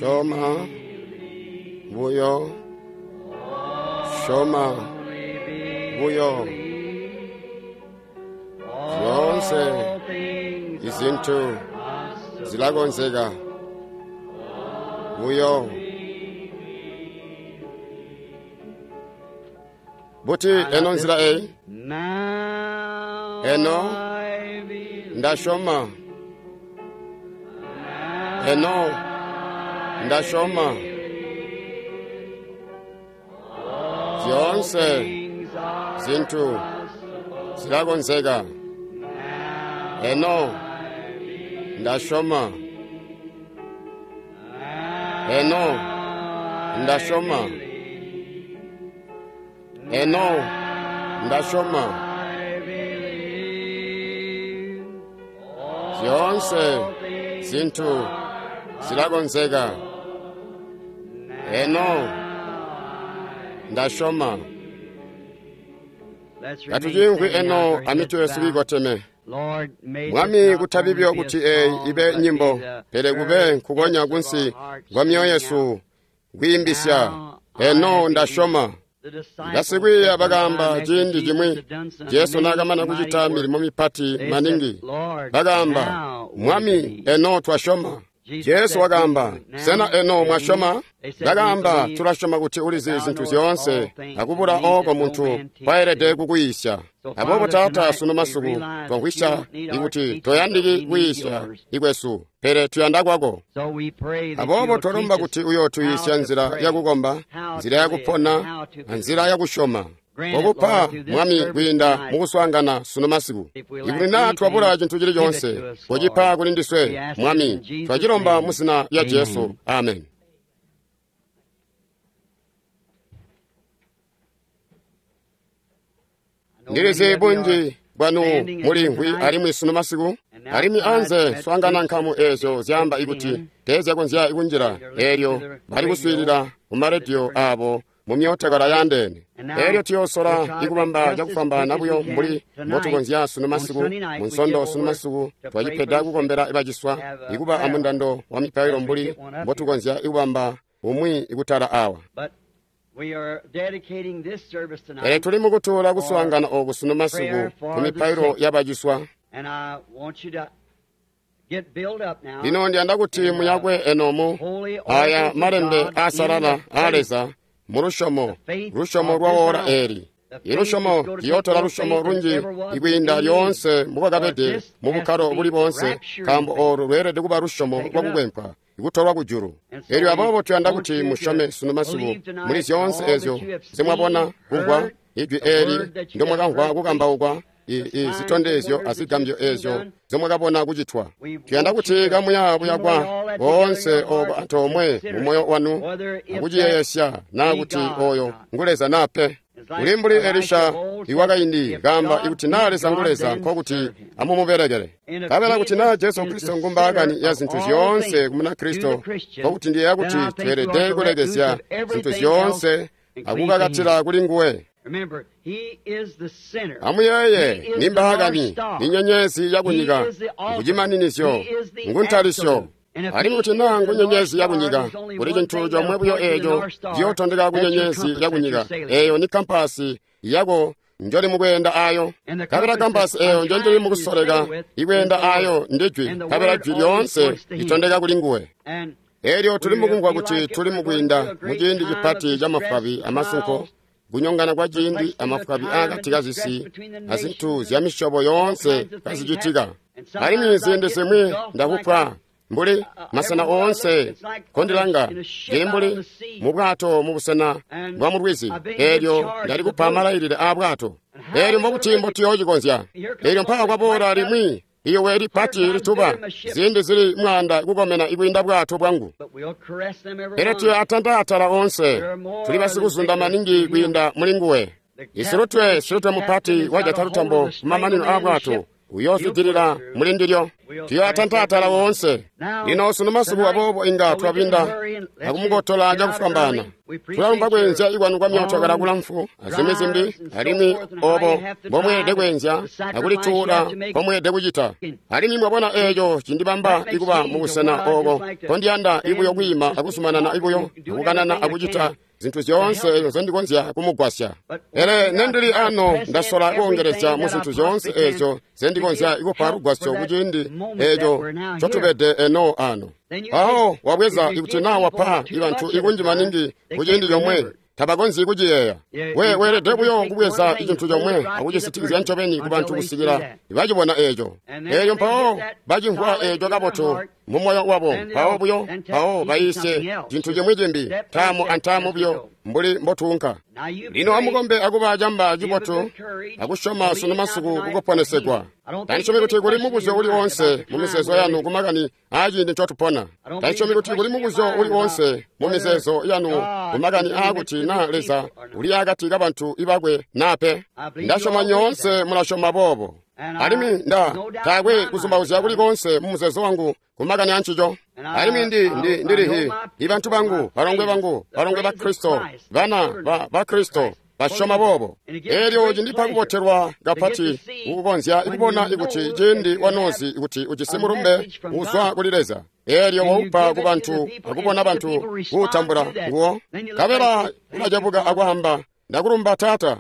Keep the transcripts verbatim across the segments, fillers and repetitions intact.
Syoma buyo, syoma buyo, zyoonse izintu zilakonzeka buyo. Buti eno nzila eyi? Eno ndasyoma, eno ndasyoma, zyoonse zintu zilakonzeka. Eno ndasyoma, eno ndasyoma, eno ndasyoma, zyoonse zintu zilakonzeka. Eno ndasyoma. Katucimvwi eno amitwe yesu kiikoteme. Mwami, kutabi buyo kuti eyi ibe nyimbo, pele kube nkukonya kunsi kwa myoyo yesu kwiimbisya. Eno ndasyoma. Basikwiiya bakaamba ciindi cimwi Jesu naakamana kucita milimo mipati maningi, bakaamba, Mwami, eno twasyoma. Jesu wakaamba, sena eno mwasyoma? Bakaamba, tulasyoma kuti ulizi zintu zyoonse, akubula ooko muntu kwayelede kukuyiisya. Aboobo Taata, sunu masiku twamvwisya ikuti toyandiki kuyiisya ikwesu, pele tuyanda kwako. Aboobo twalomba kuti uyootuyiisya nzila yakukomba, nzila yakupona, anzila yakusyoma. Kokupa, Mwami, kwiinda mukuswaangana sunu masiku. Ikuti naa twabula cintu cili coonse, kocipa kuli ndiswe, Mwami. Twacilomba mu zina lya Jesu. Amen. Ndilizi bunji bwanu mulimvwi alimwi sunu masiku, alimwi anze swaangana nkamu eezyo zyaamba ikuti teezyakonzya kunjila, eelyo bali kuswiilila kumarediyo aabo mu myootokala yaandeene. Eelyo tuyoosola ikubamba cakufwambaana buyo mbuli mbotukonzya sunu masiku. Mu Nsondo sunu masiku twacipeda kukombela baciswa, ikuba amundando wa mipailo mbuli mbotukonzya ikubamba umwi ikutala awa. Pele tuli mukutuula kuswaangana ooku sunu masiku ku mipailo yabaciswa. Lino ndiyanda kuti muyakwe enomu aya malembe aasalala aa Leza mulusyomo, lusyomo lwa woola eeli. Ilusyomo liyootola lusyomo lunji ikwiinda lyoonse mbukwakabede mu bukkalo buli boonse, nkaambo oolu lweelede kuba lusyomo lwakukwempwa ikutolwa kujulu. Eelyo aboobo tuyanda kuti musyome sunu masiku muli zyoonse eezyo nzimwabona, kumvwa ijwi eeli ndomwakamvwa kukambaukwa, zitondezyo azigambyo eezyo nzomwakabona kucitwa. Tuyanda kuti kamuya buyakwa boonse ooko antoomwe mumoyo wanu akuciyeeyesya naa kuti oyo ngu Leza naa pe. Uli mbuli Elisha iwakaindi kaamba ikuti naa Leza ngu Leza, nkokuti amumubelekele. Nkabela kuti naa Jesu Kristo ngumbaakani ya zintu zyoonse ku Munakristo, nkokuti ndiyeeya kuti tweelede kulekezya zintu zyoonse akukakatila kuli nguwe. Amuyeeye, ni mbaakani, ni nyenyezi yakunyika, ngucimaninizyo, nguntalisyo. Alimwi kuti naa ngunyenyezi yakunyika, kuli cintu comwe buyo eeco ciyootondeka kunyenyezi yakunyika, eeyo ni kampasi yako njoli mukweenda ayo. Nkabela kampasi eeyo njonjoli mukusoleka ikweenda ayo ndijwi, nkabela jwi lyoonse litondeka kuli nguwe. Eelyo tuli mukumvwa kuti tuli mukwiinda muciindi cipati camafwabi amasunko, kunyongana kwa ciindi amafwabi aakati kazisi azintu zya misyobo yoonse kazicitika. Alimwi ziindi zimwi ndakupwa mbuli masena oonse kondilanga, ndili mbuli mu bwato mu busena bwa mu lwizi. Eelyo ndali kupa malailile aa bwato. Eelyo mbokuti mbotuyoocikonzya. Eelyo mpaka kwaboola limwi iyowe lipati lituba, ziindi zili mwaanda kukomena ikwiinda bwato bwangu. Pele tuyo atanta atala oonse, tuli basikuzunda maningi kwiinda muli nguwe. Isilutwe, silutwe mupati wajata lutambo kumamanino aa bwato, uyoozwidilila muli ndilyo. Tuyoatanta atala woonse. Lino sunu masiku aboobo inga twabinda akumukotola cakufwambaana. Tulalumba kweenzya ikwanu kwa myootokala kulamfu azimwi zimbi, alimwi obo mbomweelede kweenzya akulituula mbomweelede kucita. Alimwi mwabona eeco cindibamba ikuba mubusena ooko nkondiyanda ibuyo kwiima akuzumanana ibuyo akukanana akucita zintu zyoonse ezo nzendikonzya kumugwasya. Pele nendili ano ndasola kuongelezya mu zintu zyoonse ezo zendikonzya ikupa lugwasyo kuciindi eeco ncotubede eno ano. Mpawo wabweza ikuti naa wapa ibantu ikunji maningi kuciindi comwe, tabakonzyi kuciyeeya. We weelede buyo kubweza icintu comwe akucisitikizya ncobeni kubantu kusikila bacibona eeco. Eelyo mpawo bacimvwa eeco kabotu mu moyo wabo, mpawo buyo mpawo bayiisye cintu cimwi cimbi, ntaamu antaamu buyo mbuli mbotuunka. Lino amukombe akuba camba cibotu akusyoma sunu masiku kukuponesegwa. Tandisyomi kuti kuli mubuzyo uli woonse mu mizeezo yanu kumakani aaciindi ncotupona. Tandisyomi kuti kuli mubuzyo uli woonse mu mizeezo yanu kumakani aakuti naa Leza uli akati kabantu ibakwe naa pe. Ndasyoma nyoonse mulasyoma boobo. Alimwi nda taakwe kuzumbauzya kuli koonse mu muzeezo wangu kumakani ancico. Alimwi ndi ndi ndilihi ibantu bangu, balongwe bangu, balongwe ba Kristo, bana ba ba Kristo basyoma boobo. Eelyo cindipa kubotelwa kapati kukukonzya ikubona ikuti ciindi wanozi ikuti ujisi mulumbe uzwa kuli Leza. Eelyo waupa ku bantu akubona bantu kuutambula nguwo. Nkabela ulacebuka akwaamba, ndakulumba Taata.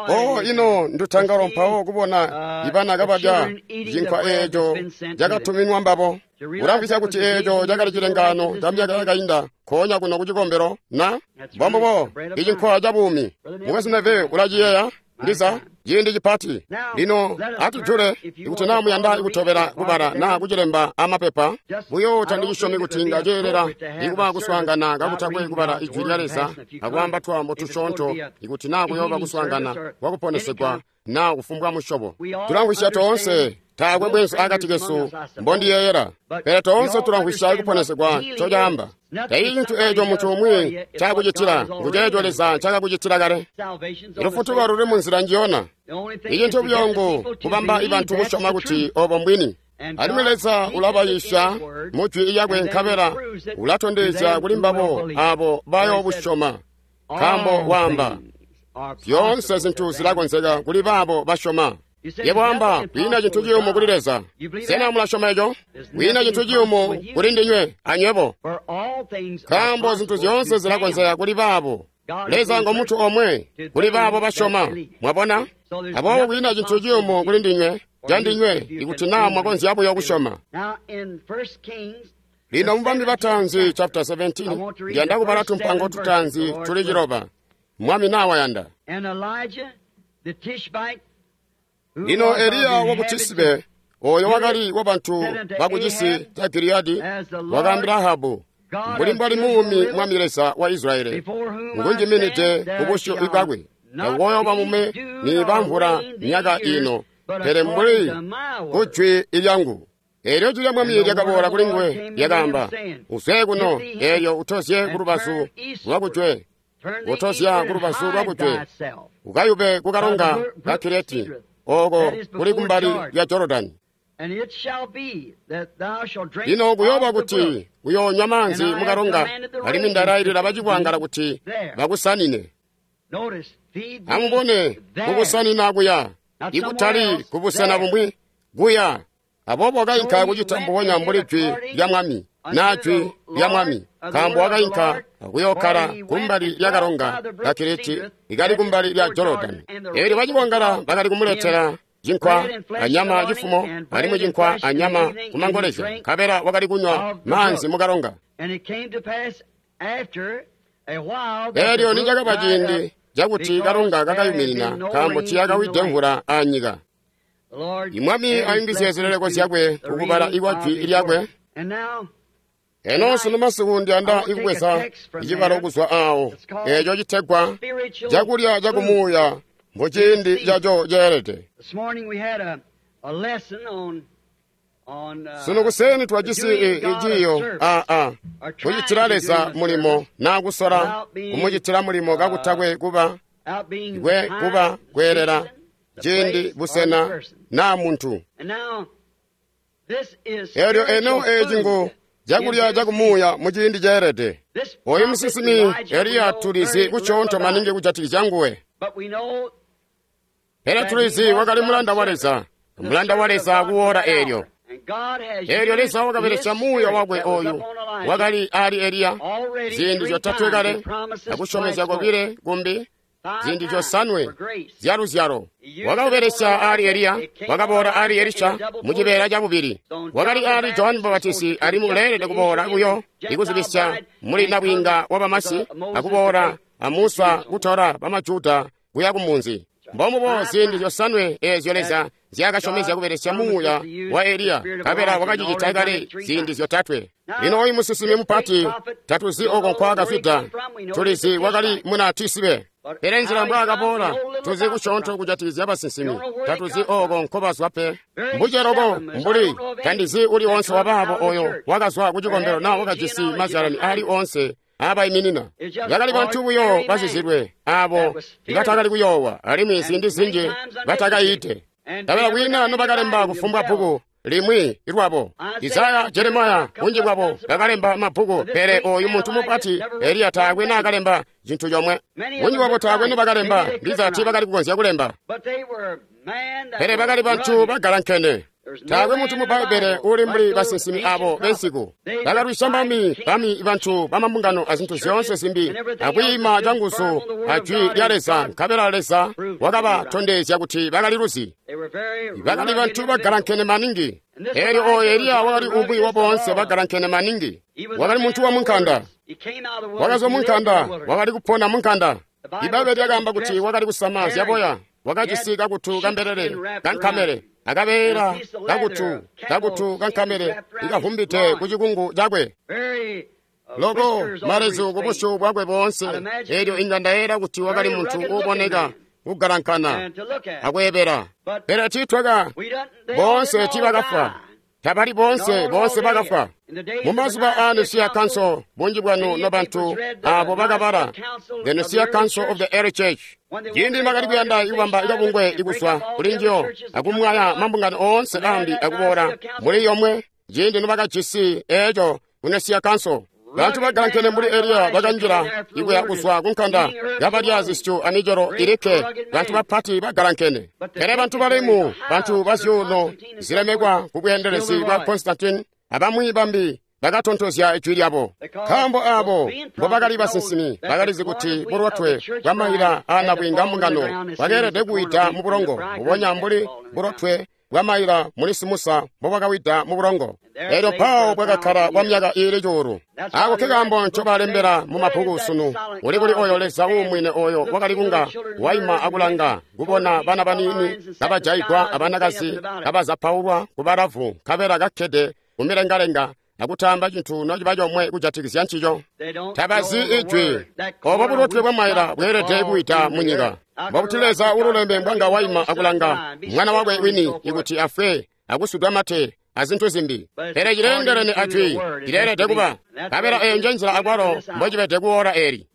Oh, ino ndutangalo mpawo kubona ibana kabalya cinkwa eeco cakatuminwa mbabo. Ulamvwisya kuti eeco cakali cilengaano ca myaka yakainda nkoonya kuno kucikombelo na? Mbombubo, icinkwa ca buumi. Mukwesu Neville ulaciyeeya? Ndiza ciindi cipati. Lino atujule ikuti naa muyanda ikutobela kubala naa kucilemba amapepa. Buyo tandichisyomi kuti inga ceelela ikuba kuswaangana kakutakwe kubala ijwi lya Leza akwaamba twaambo tusyoonto ikuti naa kuyooba kuswaangana kwakuponesegwa naa kufumbwa musyobo. Tulamvwisya toonse, taakwe bwenzu akati kesu mbondiyeeyela, pele toonse tulamvwisya ikuponesegwa ncocaamba. Taili cintu eeco muntu umwi ncakucitila, nguceeco Leza ncaakakucitila kale. Lufutuko luli munzila njiyona. Icintu buyo ngu kubamba ibantu kusyoma kuti obo mbwini. Alimwi Leza ulabayiisya mu jwi lyakwe nkabela ulatondezya kuli mbabo aabo bayoobusyoma. Nkaambo waamba, zyoonse zintu zilakonzeka kuli baabo basyoma. Yebo wamba, kwiina cintu ciyumu kuli Leza. Sena mulasyoma eco? Kwiina cintu ciyumu kuli ndinywe anywebo. Nkaambo zintu zyoonse zilakonzeka kuli baabo. Leza ngo muntu omwe kuli baabo basyoma. Mwabona? Aboobo kwiina cintu ciyumu kuli ndinywe, candinywe, ikuti naa mwakonzya buyo kusyoma. Lino mubambi bataanzi chapter seventeen, ndiyanda kubala tumpango tutaanzi tuli ciloba. Mwami naa wayanda. Lino Eliya waku Tisibe, oyo wakali wabantu bakucisi ca Giliyadi, wakaambila Ahabu, mbuli mbwali muumi Mwami Leza wa Israyeli, ngunjiminide kubusyu bwakwe, takukooyoba mume niiba mvula myaka ino, pele mbuli kujwi lyangu. Eelyo jwi lya Mwami lyakaboola kuli nguwe, lyakaamba, uzwe kuno, eelyo utozye kulubazu lwakujwe, utozya kulubazu lwakujwe, ukayube kukalonga ka Kireti, ooko kuli kumbali lya Jorodani. Lino kuyooba kuti uyoonywa maanzi mukalonga, alimwi ndalailila bacikwangala kuti bakusanine. Amubone, kukusanina kuya, ikutali kubusena bumwi, kuya. Aboobo wakainka kucita mbubonya mbuli jwi lya Mwami, naa jwi lya Mwami, nkaambo wakainka akuyookkala kumbali lya kalonga ka Kireti ikali kumbali lya Jorodani. Eelyo bacikwangala bakali kumuletela cinkwa anyama cifumo, alimwi cinkwa anyama kumangolezya, nkabela wakali kunywa maanzi mukalonga. Eelyo nicakaba ciindi cakuti kalonga kakayuminina, nkaambo tiyakawide mvula anyika. Imwami ayungizye zileleko zyakwe kukubala ikwa jwi lyakwe. Eno sunu masiku ndiyanda ikubweza icibalo kuzwa awo, eeco citegwa cakulya cakumuuya muciindi caco ceelede. Sunu kuseni twajisi iciiyo aa kucitila Leza mulimo naa kusola kumucitila mulimo kakutakwe kuba kwe kuba kweelela ciindi, busena, naa muntu. Elyo eno eci ngu cakulya cakumuuya mu ciindi ceelede. Oyu musinsimi Eliya tulizi kusyoonto maningi kujatikizya nguwe. Pele tulizi wakali mulanda wa Leza, mulanda wa Leza kuwora eelyo. Eelyo Leza wakabelesya muuya wakwe oyu wakali ali Eliya ziindi zyotatwe kale, akusyomezya kobile kumbi, ziindi zyosanwe zyaluzyalo. Wakabelesya ali Eliya, wakaboola ali Elisha mu cibeela cabubili. Wakali ali Johani Mubapatizi alimwi uleelede kuboola buyo ikuzibisya muli nabwiinga wa bamasi, akuboola a Musa kutola bamajuda kuya kumunzi. Mbomubo ziindi zyosanwe eezyo Leza nzyaakasyomezya kubelesya muuya wa Eliya, nkabela wakacicita kale ziindi zyotatwe. Lino oyu musinsimi mupati tatuzi oko nkwaakazwida, tulizi wakali muna Tisibe. Pele nzila mbwaakaboola tuzi kusyoonto kujatikizya basinsimi, tatuzi oko nkobazwa pe. Mbuceloko mbuli tandizi uli onse wabaabo oyo wakazwa kucikombelo naa wakajisi mazyalani ali onse aabaiminina. Bakali bantu buyo bazizilwe aabo batakali kuyoowa, alimwi ziindi zinji batakayiide. Nkabela kwiina nobakalemba kufumbwa bbuku limwi lwabo. Isaya, Jeremiya, bunji bwabo bakalemba mabbuku, pele oyu muntu mupati Eliya taakwe naakalemba cintu comwe. Bunji bwabo taakwe nobakalemba, ndiza tiibakali kukonzya kulemba. Pele bakali bantu bagalankene. Taakwe muntu mu Bbaibbele uli mbuli basinsimi abo bensiku. Bakalwisya bami, bami bantu bamambungano azintu zyoonse zimbi, akwiima canguzu a jwi lya Leza, nkabela Leza wakabatondezya kuti bakali luzi. Bakali bantu bagalankene maningi. Eelyo oyo Eliya wakali umwi wa boonse bagalankene maningi. Wakali muntu wa munkanda. Wakazwa munkanda, wakali kupona munkanda. Ibbaibbele lyakaamba kuti wakali kusama zyaboya, wakajisi kakutu kambelele kankamele, akabeela kakutu kakutu kankamele ikavumbide ku cikungu cakwe. Loko malezu kubusyu bwakwe boonse. Eelyo inga ndayeera kuti wakali muntu uuboneka kugalankana akweebela. Pele tiitwaka boonse tiibakafwa. Tabali boonse boonse bakafwa. Mumazuba aa Nicaea Council, bunji bwanu nobantu abo bakabala The Nicaea Council of the Early Church, ciindi bakali kuyanda ikubamba ikabungwe ikuzwa kuli njiyo akumwaya mambungano oonse ambi akuboola muli yomwe, ciindi nobakajisi eeco ku Nicaea Council, bantu bagalankene mbuli Eliya bakanjila ikuya kuzwa kunkanda kabalya zisyu amicelo ilikke, bantu bapati bagalankene. Pele bantu balemu, bantu bazyuuno zilemekwa kubweendelezi bwa Constantine abamwi bambi bakatontozya ijwi lyabo. Nkaambo aabo mbobakali basinsimi bakalizi kuti bulotwe bwamaila aanabwiinga mbungano bwakeelede kuwida mu bulongo, mbubonya mbuli bulotwe bwamaila muli Simusa mbobwakawida mu bulongo. Eelyo mpawo bwakakkala kwa myaka iili cuulu. Aako ke kaambo ncobalembela mu mabbuku sunu. Uli kuli oyo Leza uumwine oyo wakali kunga waima akulanga kubona bana baniini kabajayigwa abanakazi kabazapaulwa kubalavu, nkabela kakkede kumilengalenga akutaamba cintu nociba comwe kujatikizya ncico. Tabazi ijwi. Obo bulotwe bwamaila bweelede kuwida mu nyika. Mbokuti Leza ululembe mbwanga waima akulanga mwana wakwe wini ikuti afwe akusudwa mate azintu zimbi. Pele cileendelene ajwi, cileelede kuba. Nkabela eyo nje nzila akwalo mbocibede kuwora eli.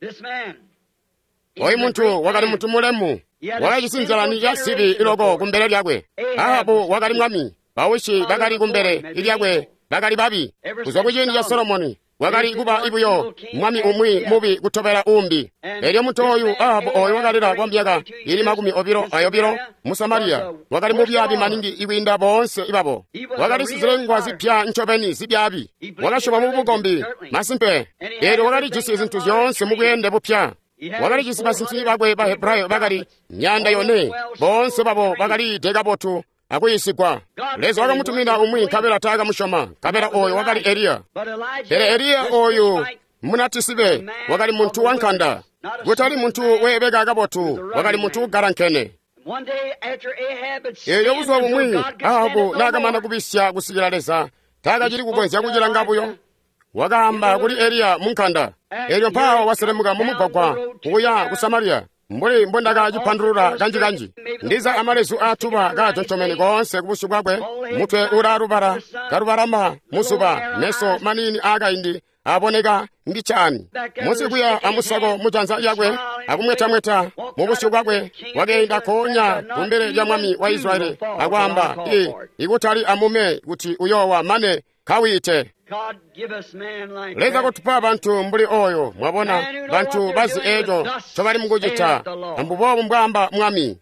Oyu muntu wakali muntu mulemu, wakajisi nzalani ya sibi iloko kumbele lyakwe. Ahabu wakali mwami, bawishi bakali kumbele lyakwe bakali babi. Kuzwa kuciindi ca Solomoni wakali kuba ibuyo mwami umwi mubi kutobela umbi. Elyo muntu oyu Ahabu oyu wakalila kwa myaka ili makumi obilo ayobilo mu Samariya, wakali mubyaabi maningi ikwiinda boonse ibabo. Wakali sizilengwa zipya ncobeni zibyaabi. Wakasyoma mu bukombi masimpe. Elyo wakalijisi zintu zyoonse mu bweende bupya. Wakalijisi basinsimi bakwe ba Hebrayo bakali myanda yone, boonse babo bakaliide kabotu akuyisigwa. Leza wakamutumina umwi nkabela taakamusyoma, nkabela oyo wakali Eliya. Pele Eliya oyu munatisibe wakali muntu wankanda, kutali muntu weebeka kabotu, wakali muntu ugalankene. Eelyo buzuba bumwi Ahabu naakamana kubisya kusikila Leza taakacili kukonzya kucilanga buyo, wakaamba kuli Eliya munkanda. Eelyo mpawo waselemuka mumugwagwa kuya ku Samariya, mbuli mbondakacipandulula kanji-kanji. Ndiza amalezu aatuba kaatontomene koonse kubusyu bwakwe, mutwe ulaalubala kalubalama muzuba, meso maniini aakaindi aboneka mbichani munsi kuya amusako mujanza lyakwe akumwetamweta mu busyu bwakwe wakeenda konya kumbele lya mwami wa Israeli akwaamba i ikutali amume kuti uyowa mane kawite. Leza kutupa bantu mbuli oyo mwabona bantu bazi eco ncobali mukucita ambuboobu mbwaamba mwami.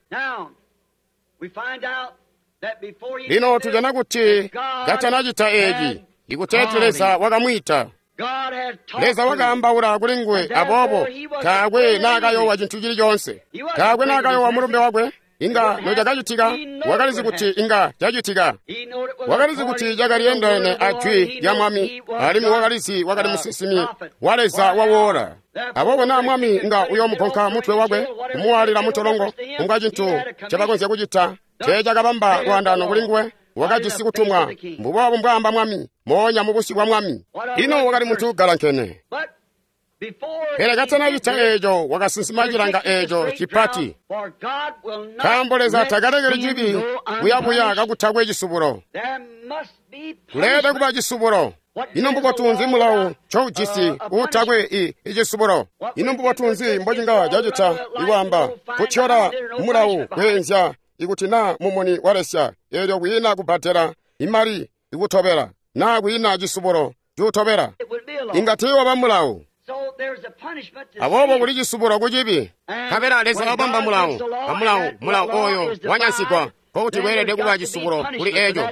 Lino tujana kuti katanacita eci ikuteeti Leza wakamwiita. Leza wakaambaula kuli nguwe aboobo taakwe naakayowa cintu cili coonse. Taakwe naakayowa mulumbe wakwe. Inga nocakacitika wakalizi kuti inga cacitika. Wakalizi kuti cakaliendelene a jwi lya mwami alimwi wakalizi wakali musinsimi wa Leza wawoola. Aboobo naa mwami inga uyoomugonka mutwe wakwe kumuwaalila mutolongo kunga cintu ncabakonzya kucita teecakabamba lwaandaano kuli nguwe. Wakajisi kutumwa mbuboobu mbwaamba mwami moonya mubusyu bwa mwami. Ino wakali muntu galankene. Pele katanacita eeco wakasinsima cilanga eeco cipati nkaambo Leza takalekeli cibi buyabuya kakutakwe cisubulo. Kuleelede kuba cisubulo. Ino mbubotu nzi mulawo ncoujisi uutakwe i icisubulo? Ino mbubotu nzi mbocinga cacita ikwaamba kutyola mulawo kweenzya ikuti naa mumuni walesya eelyo kwiina kubbadela imali ikutobela naa kwiina cisubulo cuutobela? Inga tiiwaba mulawo. Aboobo kuli cisubulo kucibi. Nkabela Leza wabamba mulawo amulawo mulawo oyo wanyansigwa nkokuti kweelede kuba cisubulo kuli eco.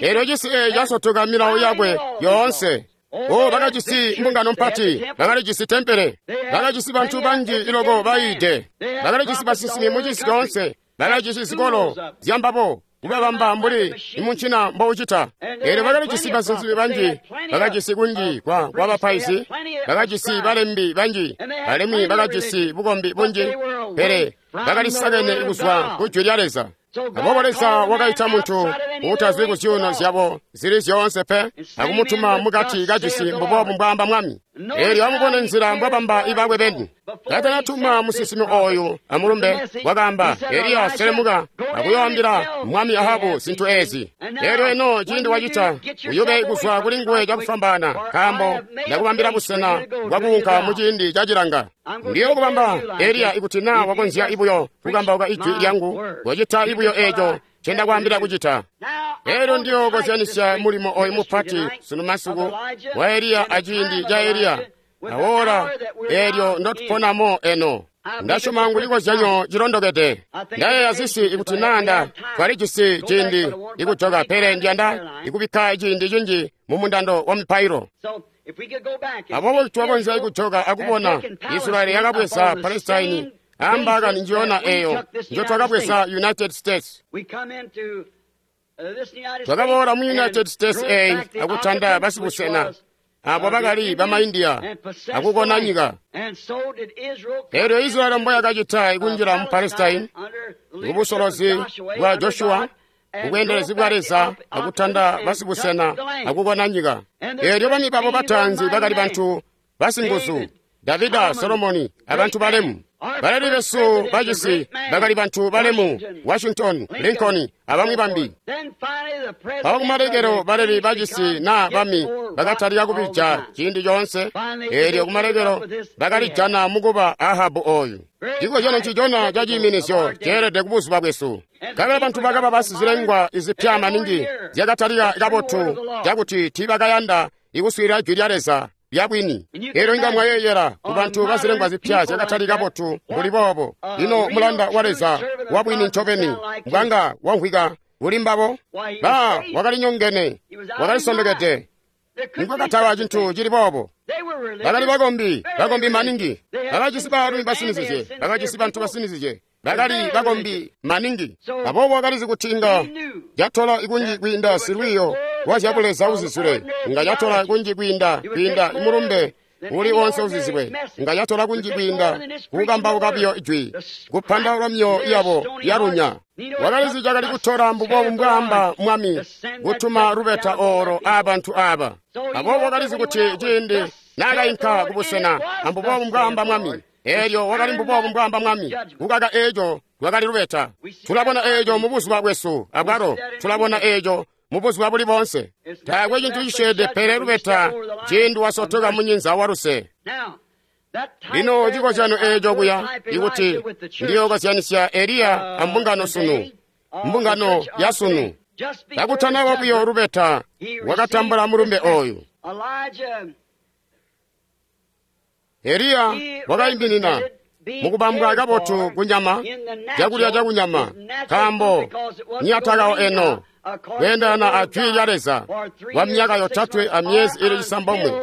Eelyo cisi eeci casotoka milawo yakwe yoonse. O bakajisi mbungano mpati, bakalijisi tempele, bakajisi bantu banji iloko bayiide, bakalijisi basinsimi mucisi coonse, bakajisi zikolo zyambabo kubabamba mbuli imuncina mboucita. Eelyo bakalijisi basinsimi banji, bakajisi kunji kwa kwabapaizi, bakajisi balembi banji, alimwi bakajisi bukombi bunji, pele bakalisakene kuzwa ku jwi lya Leza. Aboobo Leza wakaita muntu uutazwi ku zyuuno zyabo zili zyoonse pe akumutuma mukati kacisi mbuboobu mbwaamba mwami. Eelyo amubone nzila mbwabamba ibakwe beni. Katanatuma musinsimi oyu amulumbe wakaamba, Eliya selemuka akuyoambila mwami Ahabu zintu ezi. Eelyo eno ciindi wacita uyube kuzwa kuli nguwe cakufwambaana nkaambo ndakubambila busena bwakuunka muciindi cacilanga. Ndiyo kubamba Eliya ikuti naa wakonzya ibuyo kukambauka ijwi lyangu wacita ibuyo eeco ncendakwaambila kucita. Eelyo ndiyo kozyanisya mulimo oyu mupati sunu masiku wa Eliya aciindi ca Eliya awola eelyo ndotuponamo eno. Ndasyoma ngu cikozyanyo cilondokede. Ndayeeya zisi ikuti naa twalijisi ciindi ikujoka, pele ndiyanda ikubikka ciindi cinji mumundando wa mipailo. Aboobo twakonzya ikujoka akubona Israeli yakabweza Palestine ambaakani njiyona eyo njotwakabweza United States. Twakaboola mu United States eyi akutanda basibusena abo bakali bamaindiya akukona nyika. Eelyo Israeli mboyakacita ikunjila mu Palestine kubusolozi bwa Joshua kubweendelezi bwa Leza akutanda basibusena akukona nyika. Eelyo bami babo bataanzi bakali bantu basinguzu, Davida, Solomoni abantu balemu. Baleli besu bacisi bakali bantu balemu, Washington, Lincoln abamwi bambi. Mpawo kumalekelo baleli bacisi naa bami bakatalika kubija ciindi coonse. Eelyo kumalekelo bakalijana mukuba Ahabu oyu. Cikozyano ncicona ca ciiminisyo ceelede kubuzuba bwesu. Nkabela bantu bakaba basizilengwa izipya maningi zyakatalika kabotu cakuti tiibakayanda ikuswiilila jwi lya Leza lya bwini. Eelyo inga mwayeeyela ku bantu bazilengwa zipya zyakatali kabotu mbuli boobo. Ino mulanda wa Leza wa bwini ncobeni mbwanga wamvwika kuli mbabo? Ba wakalinyongene, wakalisondokede. Nikwakataba cintu cili boobo. Bakali bakombi, bakombi maningi. Bakajisi baalumi basinizizye, bakajisi bantu basinizizye. Bakali bakombi maningi. Aboobo wakalizi kuti inga catola ikunji kwiinda silwiiyo wa zyabuleza uzizule, inga catola kunji kwiinda kwiinda imulumbe uli onse uzizibwe, inga catola kunji kwiinda kukambauka biyo ijwi, kupandaula myoyo yabo yalunya. Wakalizi cakali kutola mbuboobu mbwaamba mwami kutuma lubeta olo aabantu aaba. Aboobo wakalizi kuti ciindi naakainka kubusena ambuboobu mbwaamba mwami. Eelyo wakali mbuboobu mbwaamba mwami, kukaka eeco lwakali lubeta. Tulabona eeco mubuzuba bwesu abwalo, tulabona eeco mu buzuba buli boonse. Taakwe cintu cisyeede pele lubeta ciindi wasotoka munyinza wa luse. Lino cikozyano eeco kuya ikuti ndiyookozyanisya Eliya ambungano sunu, mbungano ya sunu. Kakutanaba buyo lubeta, wakatambula mulumbe ooyu. Eliya wakaiminina mukubambwa kabotu kunyama, cakulya cakunyama, nkaambo niyatakawo eno kweendana a jwi lya Leza kwa myaka yotatwe amyezi ili cisambomwe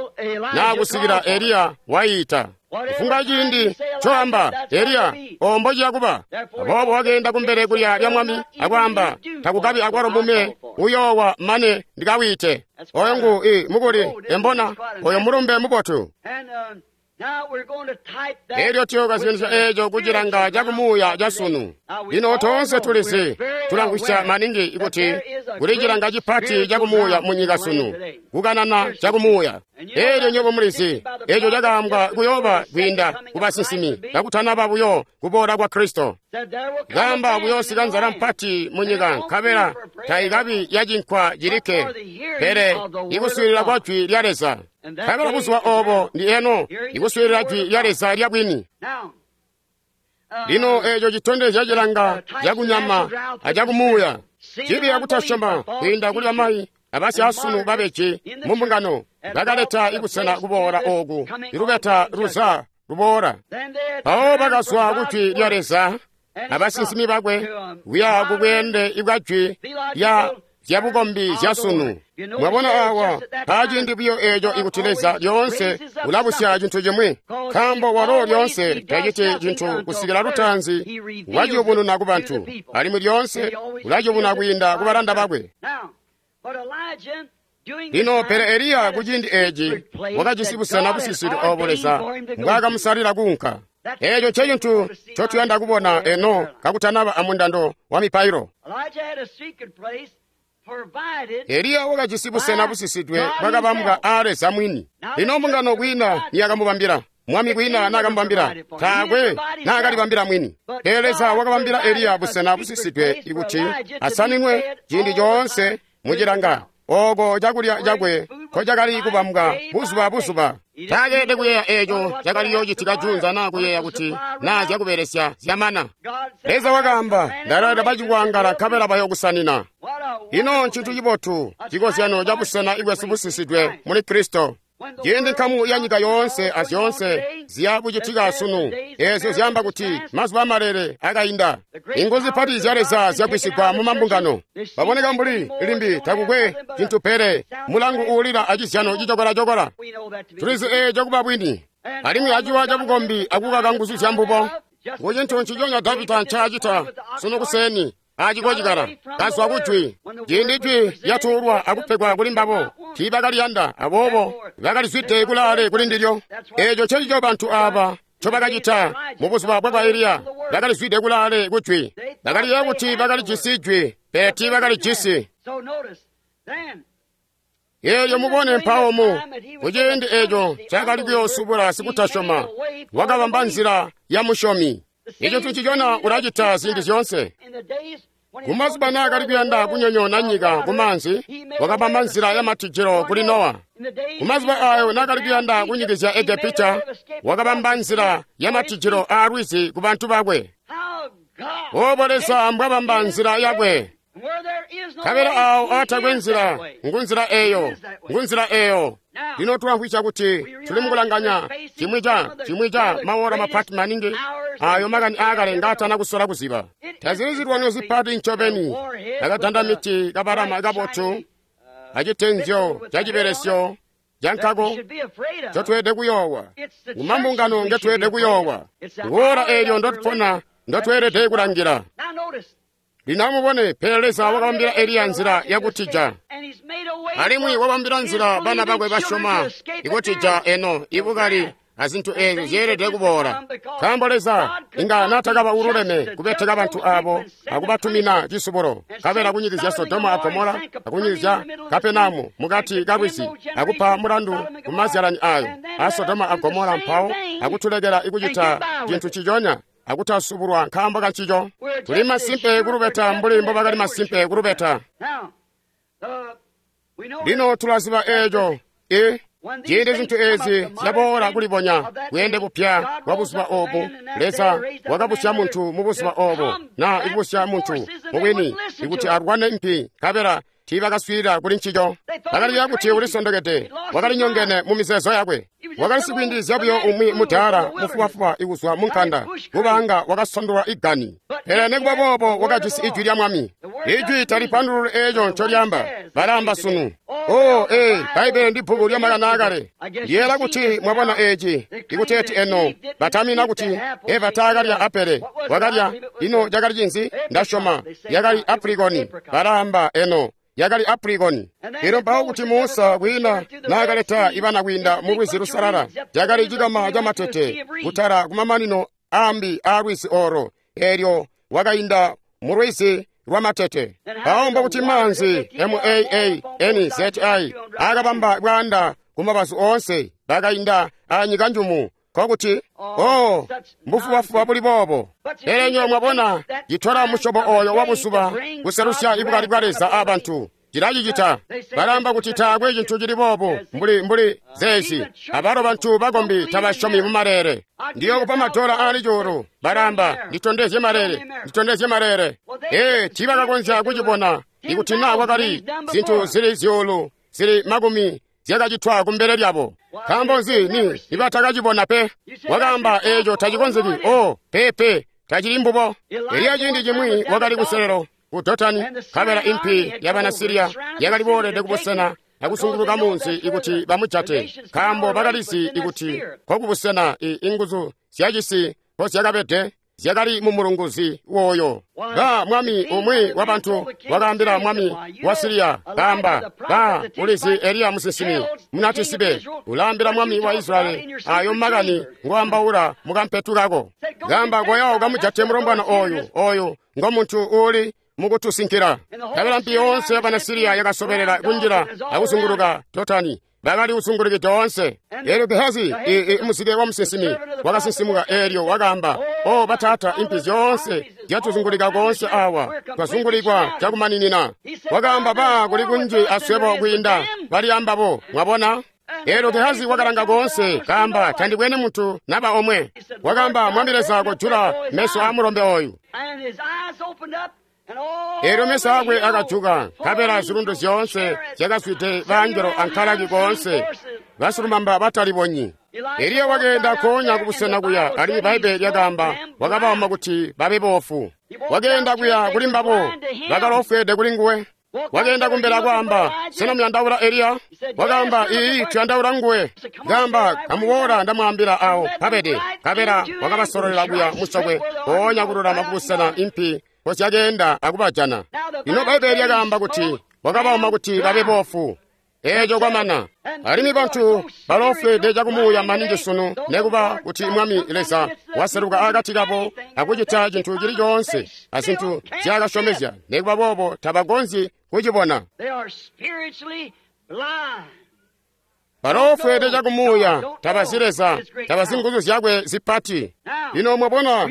naa kusikila Eliya wayiita. Kufumbwa ciindi ncoamba Eliya ombo ciya kuba. Aboobo wakeenda kumbele kulya lya mwami akwaamba, takukabi akwalo mume uyoowa mane ndikawiite. Oyo ngu i mukuli embona oyo mulumbe mubotu. Elyo tuyookozyanisya eeco kucilanga cakumuuya ca sunu. Lino toonse tulizi, tulamvwisya maningi ikuti kuli cilanga cipati cakumuuya munyika sunu, kukanana cakumuuya. Elyo nywebo mulizi, eeco cakaambwa kuyooba kwiinda kubasinsimi kakutanaba buyo kuboola kwa Kristo. Kaamba kuyoosika nzala mpati munyika, nkabela taikabi yacinkwa cilikke, pele ikuswiilila kwa jwi lya Leza. Nkabela buzuba oobo ndi eno, ikuswiilila jwi lya Leza lya bwini. Lino eeco citondezya cilanga cakunyama acakumuuya, cibi akutasyoma kwiinda kuli bamayi abasyaasunu babeji mumbungano bakaleta ikusena kuboola ooku ilubeta luza luboola. Mpawo bakazwa kujwi lya Leza abasinsimi bakwe kuya kubweende bwa jwi lya zyabukombi zya sunu. Mwabona awa mpaaciindi buyo eeco ikuti Leza lyoonse ulabusya cintu cimwi, nkaambo walo lyoonse taciti cintu kusikila lutaanzi waciyubununa ku bantu, alimwi lyoonse ulaciyubuna kwiinda ku balanda bakwe. Lino pele Eliya kuciindi eeci wakajisi busena busisidwe oobo Leza mbwaakamusalila kuunka. Eeco ncecintu ncotuyanda kubona eno kakutanaba amundando wa mipailo. Eliya wakajisi busena busisidwe bwakabambwa aa Leza mwini. Lino mbungano kwiina niyakamubambila, mwami kwiina naakamubambila, taakwe naakalibambila mwini. Pele Leza wakabambila Eliya busena busisidwe ikuti asaninwe ciindi coonse mucilanga ooko cakulya cakwe nkocakali kubambwa buzuba buzuba. Taakeelede kuyeeya eeco cakali yoocitika juunza naa kuyeeya kuti naa zyakubelesya zyamana. Leza wakaamba, ndaleta bacikwangala nkabela bayookusanina. Ino ncintu cibotu, cikozyano cabusena ibwesu busisidwe muli Kristo. Ciindi nkamu ya nyika yoonse azyoonse ziya kucitika sunu, eezyo zyaamba kuti mazuba amalele akainda. Inguzu zipati zya Leza zyagwisigwa mu mambungano. Baboneka mbuli limbi takukwe cintu pele mulangu uulila acizyano cicokola-cokola. Tulizi eeco kuba bwini, alimwi aciwa cabukombi akukaka nguzu zya mbubo. Ngu cintu nciconya Davida ncaacita sunu kuseeni acikocikala kazwa kujwi. Ciindi jwi lyatuulwa akupegwa kuli mbabo, tiibakaliyanda, aboobo bakalizwide kulaale kuli ndilyo. Eeco ncencico bantu aaba ncobakacita mubuzuba bwa Eliya, bakalizwide kulaale kujwi. Bakaliyeeya kuti bakalijisi jwi, pele tiibakalijisi. Eelyo mubone mpawo mu kuciindi eeco cakali kuyoosubula sikutasyoma, wakabamba nzila ya musyomi. Eco ncicona ulacita ziindi zyoonse. Kumazuba naakali kuyanda kunyonyoona nyika kumaanzi, wakabamba nzila ya matijilo kuli Nowa. Kumazuba aayo naakali kuyanda kunyikizya Egepita, wakabamba nzila ya matijilo aalwizi ku bantu bakwe. Oobo Leza mbwabamba nzila yakwe. Nkabela aawo aatakwe nzila, ngunzila eeyo, ngunzila eeyo. Lino tulamvwisya kuti tuli mukulanganya cimwi ca cimwi ca maora mapati maningi aayo makani aakale ngaatana kusola kuziba. Tazili zilwanyo zipati ncobeni, akadanda miti kabalama kabotu acitenzyo cacibelesyo cankako ncotweelede kuyoowa. Ngumambungano ngetweelede kuyoowa. Nguora eelyo ndotupona ndotweelede kulangila. Lino amubone, pele Leza wakabambila Eliya nzila yakutija, alimwi wabambila nzila bana bakwe basyoma ikutija eno ibukali azintu eezyo zyeelede kuboola. Nkaambo Leza inga naatakaba ululeme kubeteka bantu aabo akubatumina cisubulo, nkabela kunyikizya Sodoma a Gomola akunyikizya Kapenamu mukati kalwizi akupa mulandu kumazyalani aayo a Sodoma a Gomola, mpawo akutulekela ikucita cintu ciconya akutasubulwa nkaambo kancico. Tuli masimpe kulubeta mbuli mbobakali masimpe kulubeta. Lino tulaziba eeco i ciindi zintu ezi zyaboola kulibonya bweende bupya bwa buzuba obu, Leza wakabusya muntu mu buzuba obo, na ikubusya muntu mubwini ikuti alwane mpi, nkabela tiibakaswiilila kuli ncico. Bakaliyeeya kuti ulisondokede, wakalinyongene mu mizeezo yakwe. Wakali sikwiindilizya buyo umwi mudaala mufubafuba ikuzwa mu nkanda, kubaanga wakasondolwa igani. Pele nikuba boobo wakajisi ijwi lya Mwami. Ijwi talipandululi eeco ncolyaamba, balaamba sunu. Oh, ee, Bbaibbele ndi bbuku lya makani aakale. Ndiyeela kuti mwabona eeci, ikuteeti eno batamina kuti Eva taakalya apele, wakalya. Ino cakali cinzi? Ndasyoma yakali aprikoni. Balaamba eno yakali aprikoni. Elyo mpawo kuti Musa kwiina naakaleta ibana kwiinda mu Lwizi Lusalala, cakali cikama camatete kutala kumamanino aambi aa lwizi oro, eelyo wakainda mu lwizi lwamatete. Mpawo mbokuti maanzi M A A N Z I akabamba bwaanda kumabazu oonse, bakainda anyika njumu. Nkokuti, oh, mbufubafuba buli boobo. Pele nywebo mwabona, citola musyobo oyo wa buzuba kuselusya ibukali bwa Leza abantu. Cilacicita. Balaamba kuti taakwe cintu cili boobo mbuli mbuli zeezi. Abalo bantu bakombi tabasyomi mu maleele. Ndiyokupa madola aali cuulu. Balaamba, nditondezye maleele, nditondezye maleele. Ee, tiibakakonzya kucibona ikuti naa kwakali zintu zili zyuulu zili makumi zyakacitwa kumbele lyabo. Nkaambo nzi ni nibatakacibona pe? Wakaamba eeco tacikonzeki. Oh, pepe, tacili mbubo. Eliya ciindi cimwi wakali kuselelo ku Dotani, nkabela impi yabana Siriya yakali boolede kubusena akusunguluka munzi ikuti bamujate, nkaambo bakalizi ikuti kokubusena inguzu zyacisi mpozyakabede zyakali mu mulunguzi woyo. Ba mwami umwi wa bantu wakaambila mwami wa Siriya, kaamba, ba ulizi Eliya musinsimi munatisibe ulaambila mwami wa Israyeli ayo makani ngoambaula mukampetu kako. Kaamba, koyawo kamujate mulombwana oyu, oyu ngomuntu uuli mukutusinkila. Nkabela mpi yoonse yabana Siriya yakasobelela kunjila akuzunguluka Dotani. Bakali kusungulukide oonse. Eelyo Gehazi, muzike wa musinsimi, wakasinsimuka eelyo wakaamba, o bataata, impi zyoonse zyatuzungulika koonse awa, twazungulikwa cakumaninina. Wakaamba, ba kuli kunji aswebo kwiinda bali ambabo. Mwabona? Eelyo Gehazi wakalanga koonse, kaamba, tandibwene muntu naba omwe. Wakaamba, Mwami Leza kojula meso a mulombe oyu. Eelyo meso akwe akajuka, nkabela zilundu zyoonse zyakazwide baangelo ankalaki koonse, basilumamba batalibonyi. Eliya wakeenda koonya kubusena kuya, alimwi Bbaibbele lyakaamba wakabauma kuti babe boofu. Wakeenda kuya kuli mbabo, bakalofwede kuli nguwe. Wakeenda kumbele akwaamba, sena muyandaula Eliya? Wakaamba, ii, tuyandaula nguwe. Kaamba, kamuboola ndamwaambila awo mpabede. Nkabela wakabasololela kuya musokwe, koonya kululama kubusena impi mpozyakenda akubajana. Lino Bbaibbele lyakaamba kuti wakabauma kuti babe boofu. Eeco kwamana. Alimwi bantu balofwede cakumuuya maningi sunu, nekuba kuti Mwami Leza waseluka akati kabo akucita cintu cili coonse azintu nzyaakasyomezya, nekuba boobo tabakonzyi kucibona. Balofwede cakumuuya, tabazi Leza, tabazi nguzu zyakwe zipati. Lino mwabona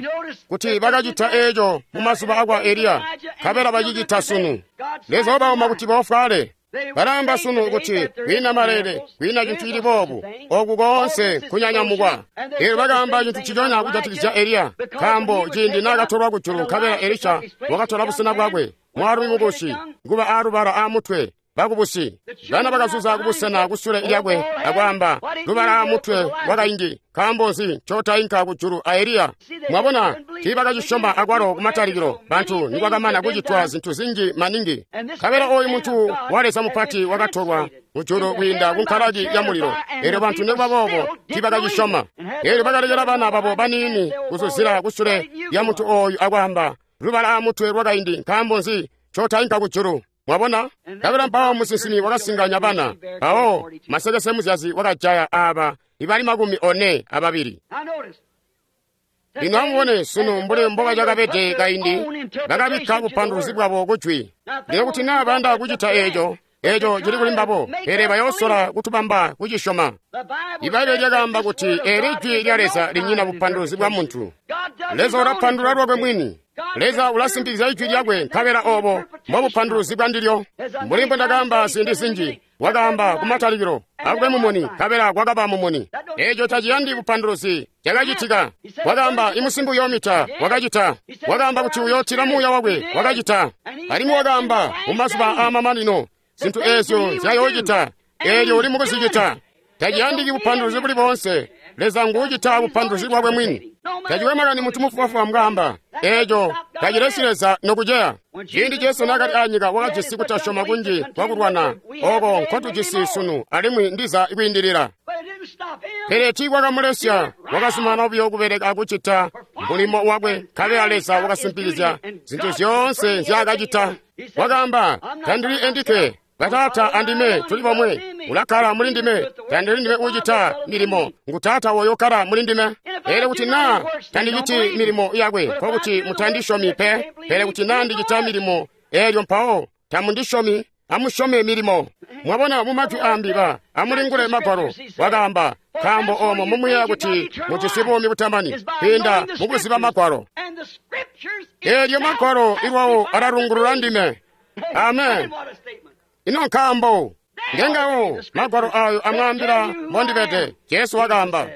kuti bakacita eeco mu mazuba akwa Eliya, nkabela bacicita sunu. Leza wabauma kuti boofwale. Balaamba sunu kuti kwiina maleele, kwiina cintu cili boobu, oku koonse kunyanyamukwa. Eelyo bakaamba cintu ciconya kujatikizya Eliya, nkaambo ciindi naakatolwa kujulu, nkabela Elisha wakatola busena bwakwe, mwaalumi mukusi, kuba aalubala aamutwe. Bakubusi bana bakazuza kubusena kusule lyakwe akwaamba, lubala amutwe wakaindi, nkaambo nzi ncotainka kujulu a Eliya? Mwabona, tiibakacisyoma akwalo kumatalikilo bantu nikwakamana kucitwa zintu zinji maningi. Nkabela oyu muntu wa Leza mupati wakatolwa kujulu kwiinda kunkalaki ya mulilo, eelyo bantu nikuba boobo tiibakacisyoma. Eelyo bakalekela bana babo baniini kuzuzila kusule lya muntu oyu akwaamba, lubala amutwe lwakaindi, nkaambo nzi ncotainka kujulu? Mwabona? Nkabela mpawo musinsimi wakasinganya bana. Mpawo masekese muzyazi wakajaya aaba ibali makumi one ababili. Lino amubone sunu mbuli mbobacakabede kaindi, bakabikka bupanduluzi bwabo kujwi. Lino kuti naa bayanda kucita eeco, Eco cili kuli mbabo, pele bayosola kutubamba kucisyoma. Ibbaibbele lyakaamba kuti eli jwi lya Leza linyina bupanduluzi bwa muntu. Leza ulapandulula lwakwe mwini. Leza ulasimpikizya ijwi lyakwe, nkabela obo mbobupanduluzi bwa ndilyo. Mbuli mbwe ndakaamba ziindi zinji, wakaamba kumatalikilo, akube mumuni, nkabela kwakaba mumuni. Eco taciyandi bupanduluzi, cakacitika. Wakaamba imusimbi uyoomita, wakacita. Wakaamba kuti uyootila muuya wakwe, wakacita. Alimwi wakaamba mumazuba aamamanino zintu eezyo nzyayoocita, eelyo uli mukuzicita. Taciyandiki bupanduluzi buli boonse. Leza nguucita bupanduluzi bwakwe mwini. Tacikwe makani muntu mufubafuba mbwaamba, eeco tacilesi Leza nokuceya. Ciindi Jesu naakali aanyika wakajisi kutasyoma kunji kwakulwana oko nkotujisi sunu alimwi ndiza kwiindilila. Pele tiikwakamulesya, wakazumanana buyo kubeleka akucita mulimo wakwe, nkabela Leza wakasimpikizya zintu zyoonse nzyaakacita. Wakaamba, tandili endikke, Bataata andime tuli bomwe. Ulakkala muli ndime, tandili ndime uucita milimo, ngu Taata oyo ukkala muli ndime. Pele kuti naa tandiciti milimo yakwe, nkokuti mutandisyomi pe. Pele kuti naa ndicita milimo, eelyo mpawo tamundisyomi, amusyome milimo. Mwabona, mumajwi aambi ba amulingule Magwalo, wakaamba, nkaambo oomo mumuyeeya kuti mujisi buumi butamani kwiinda mukuziba Magwalo. Eelyo Magwalo ilwawo alalungulula ndime. Amen. Ino nkaambo ngengawo Magwalo ayo amwaambila mbondibede, Jesu wakaamba.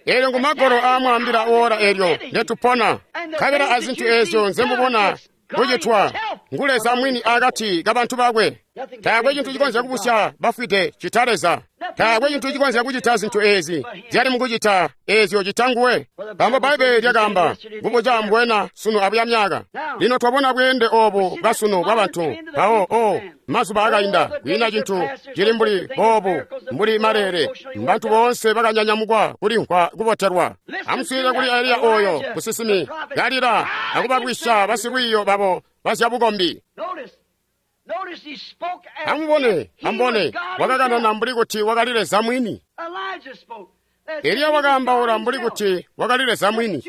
Eelyo ngu Magwalo aamwaambila woola eelyo ndetupona, nkabela azintu eezyo nzemubona kucitwa ngu Leza mwini akati kabantu bakwe. Taakwe cintu cikonzya kubusya bafwide cita Leza. Taakwe cintu cikonzya kucita zintu eezi zyali mukucita eezyo cita nguwe. Nkaambo Bbaibbele lyakaamba kubuca mbwena sunu abuya myaka. Lino twabona bweende oobu bwasunu bwabantu mpawo o mazuba akainda kwiina cintu cili mbuli boobu mbuli maleele. Bantu boonse bakanyanyamukwa kulimvwa kubotelwa. Amuswiilile kuli Eliya ooyo musinsimi kalila akubabwisya basilwiiyo babo bazyabukombi. Amubone, amubone, wakakanana mbuli kuti wakali Leza mwini. Eliya wakaambaula mbuli kuti wakali Leza mwini.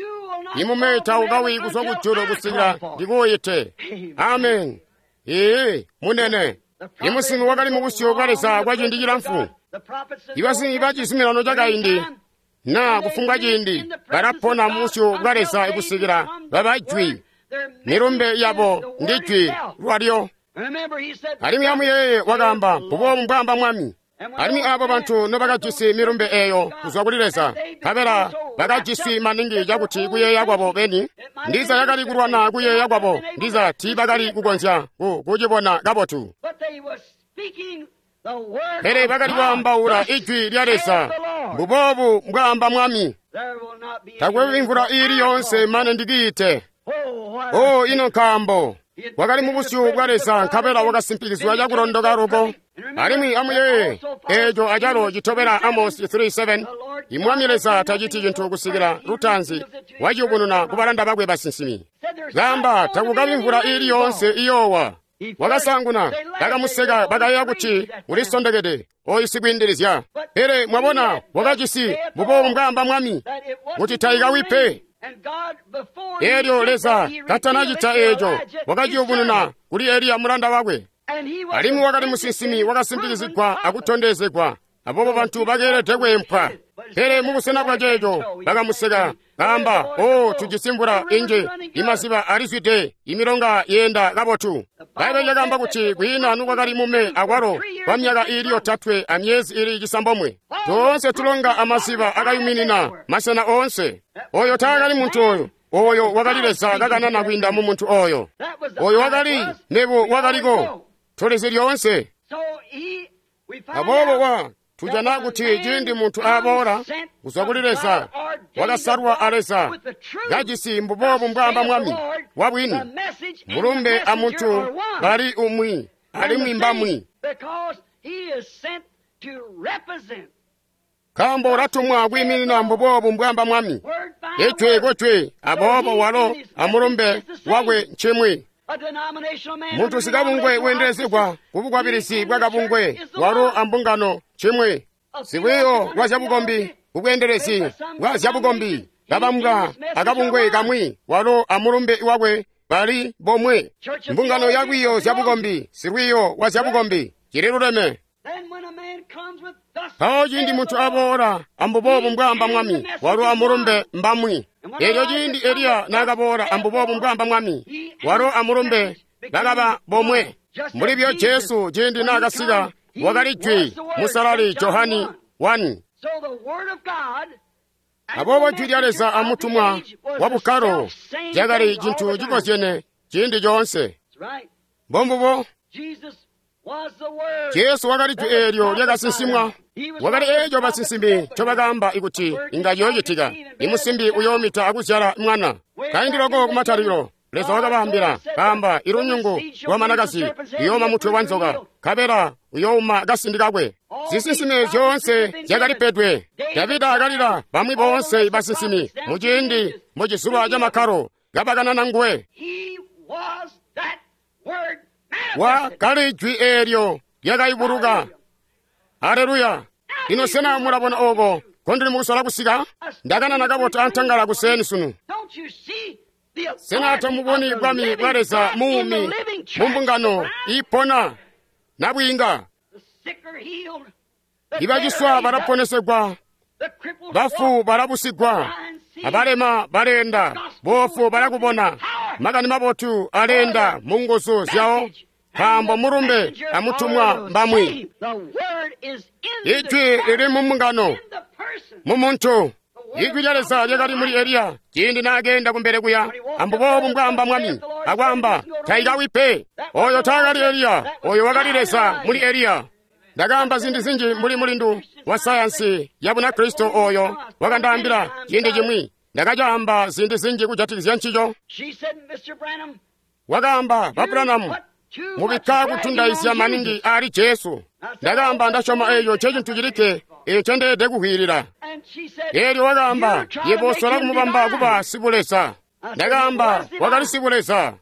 Imume taukawi kuzwa kujulu kusikila ndikuuyite. Amen. Ee, munene. Imusinsimi wakali mubusyu bwa Leza kwa ciindi cilamfu. Ibasinsimi ba cizuminano cakaindi naa kufumbwa ciindi balapona mubusyu bwa Leza kusikila baba jwi. Milumbe yabo ndi jwi lwalyo. Alimwi amuyeeye wakaamba, mbuboobu mbwaamba Mwami. Alimwi aabo bantu nobakajisi milumbe eeyo kuzwa kuli Leza, nkabela bakajisi maningi cakuti kuyeeya kwabo beni, ndiza yakali kulwana kuyeeya kwabo, ndiza tiibakali kukonzya kucibona kabotu. Pele bakali kwaambaula ijwi lya Leza, mbuboobu mbwaamba Mwami. Takwe imvula iili yoonse mane ndikiite. Oh, ino nkaambo wakali mubusyu bwa Leza, nkabela wakasimpikizwa cakulondoka loko. Alimwi amuyeeye eeco acalo citobela Amosi three seven. Imwami Leza taciti cintu kusikila lutaanzi waciyubununa kubalanda bakwe basinsimi. Kaamba takukabi mvula iili yoonse iyoowa. Wakasaanguna bakamuseka, bakayeeya kuti ulisondekede oyu sikwiindilizya. Pele mwabona, wakajisi mbuboobu mbwaamba Mwami kuti taikawi pe. Eelyo Leza katanacita eeco, wakaciyubununa kuli Eliya mulanda wakwe. Alimwi wakali musinsimi wakasimpikizigwa akutondezegwa, aboobo bantu bakeelede kweempwa. Pele mubusena bwa ceeco bakamuseka, kaamba, o tujisi mvula inji, imaziba alizwide, imilonga yeenda kabotu. Bbaibbele lyakaamba kuti kwiina nukwakali mume akwalo kwa myaka iili yotatwe amyezi iili cisambomwe. Toonse tulonga amaziba akayuminina masena oonse. Oyo taakali muntu oyo. Oyo wakali Leza kakanana kwiinda mu muntu oyo. Oyo wakali mebo wakaliko. Tulizi lyoonse. Aboobo wa tujana kuti ciindi muntu aboola kuzwa kuli Leza, wakasalwa a Leza, kajisi mbuboobu mbwaamba Mwami wabwini, mulumbe a muntu bali umwi alimwi mbamwi. Nkaambo ulatumwa kwiiminina mbuboobu mbwaamba Mwami, ijwi kujwi, aboobo walo amulumbe wakwe ncimwi. Muntu sikabungwe weendelezegwa kubukwabilizi bwa kabungwe, walo ambungano cimwi. Sikwiiyo lwa zyabukombi kubweendelezi bwa zyabukombi kabambwa akabungwe kamwi, walo amulumbe wakwe Bali bomwe. Mbungano ya lwiiyo zyabukombi, silwiiyo wa zyabukombi, cili luleme. Mpawo ciindi muntu aboola, ambuboobu mbwaamba Mwami, walo amulumbe mbamwi. Elyo ciindi Eliya naakaboola, ambuboobu mbwaamba Mwami, walo amulumbe bakaba bomwe. Mbuli byo Jesu ciindi naakasika, wakali Jwi, Musalali Johani one. Aboobo Jwi lya Leza amutumwa wa bukkalo cakali cintu cikozyene ciindi coonse. Mbombubo. Jesu wakali Jwi eelyo lyakasinsimwa. Wakali eeco basinsimi ncobakaamba ikuti inga ciyoocitika. Imusimbi uyoomita akuzyala mwana. Kaindi loko kumatalikilo, Leza wakabaambila, kaamba ilunyungu lwa manakazi luyooma mutwe wa nzoka, nkabela uyouma kasindi kakwe. Zisinsime zyoonse zyakalipedwe. Davida akalila bamwi boonse basinsimi muciindi mucizuba ca makkalo kabakanana nguwe. Wa kali Jwi eelyo lyakayubuluka. Aleluya! Lino sena mulabona ooko kondili mukusola kusika? Ndakanana kabotu antangala kuseeni sunu. Sena tamuboni bwami bwa Leza muumi mumbungano iipona nabwiinga? Ibaciswa balaponesegwa, bafu balabusigwa, abalema baleenda, boofu balakubona. Makani mabotu aleenda mu nguzu zyawo, nkaambo mulumbe amutumwa mbamwi. Ijwi lili mu mbungano, mu muntu. Ijwi lya Leza lyakali muli Eliya ciindi naakeenda kumbele kuya, ambuboobu mbwaamba Mwami, akwaamba taikawi pe. Oyo taakali Eliya, oyo wakali Leza muli Eliya. Ndakaamba ziindi zinji mbuli mulindu wa sayansi ya Bunakristo oyo wakandaambila ciindi cimwi. Ndakacaamba ziindi zinji kujatikizya ncico. Wakaamba, Ba Branham, mubikka kutundaizya maningi ali Jesu. Ndakaamba, ndasyoma eeco ncecintu cilikke eeco ncendeelede kukwiilila. Eelyo wakaamba, yebo osola kumubamba kuba sibuleza. Ndakaamba, wakali sibuleza.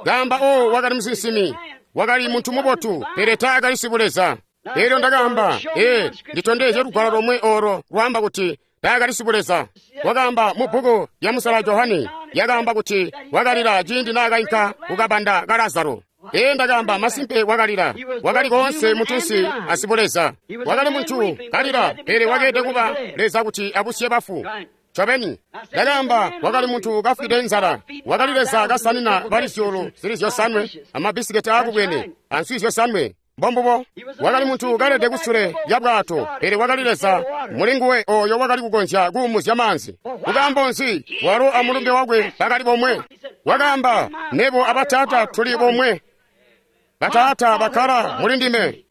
Kaamba, o wakali musinsimi, wakali muntu mubotu, pele taakali sibuleza. Eelyo ndakaamba, ee, nditondezye lugwalo lomwe olo lwaamba kuti taakali sibuleza. Wakaamba mu bbuku lya Musala Johani, yakaamba kuti wakalila ciindi naakainka kukabanda ka Lazaro. Ee, ndakaamba, masimpe wakalila. Wakali koonse muntunsi asibuleza. Wakali muntu kalila, pele wakeelede kuba Leza kuti abusye bafu. Ncobeni, ndakaamba, wakali muntu kafwide nzala. Wakali Leza kasanina bali zyuulu zili zyosanwe amabisiketi aakubwene answi zyosanwe. Mbombubo. Wakali muntu kalede kusule lya bwato, pele wakali Leza muli nguwe oyo wakali kukonzya kuumuzya maanzi. Kukaambo nzi? Walo amulumbe wakwe bakali bomwe. Wakaamba, nebo abataata tuli bomwe. Bataata bakkala muli ndime.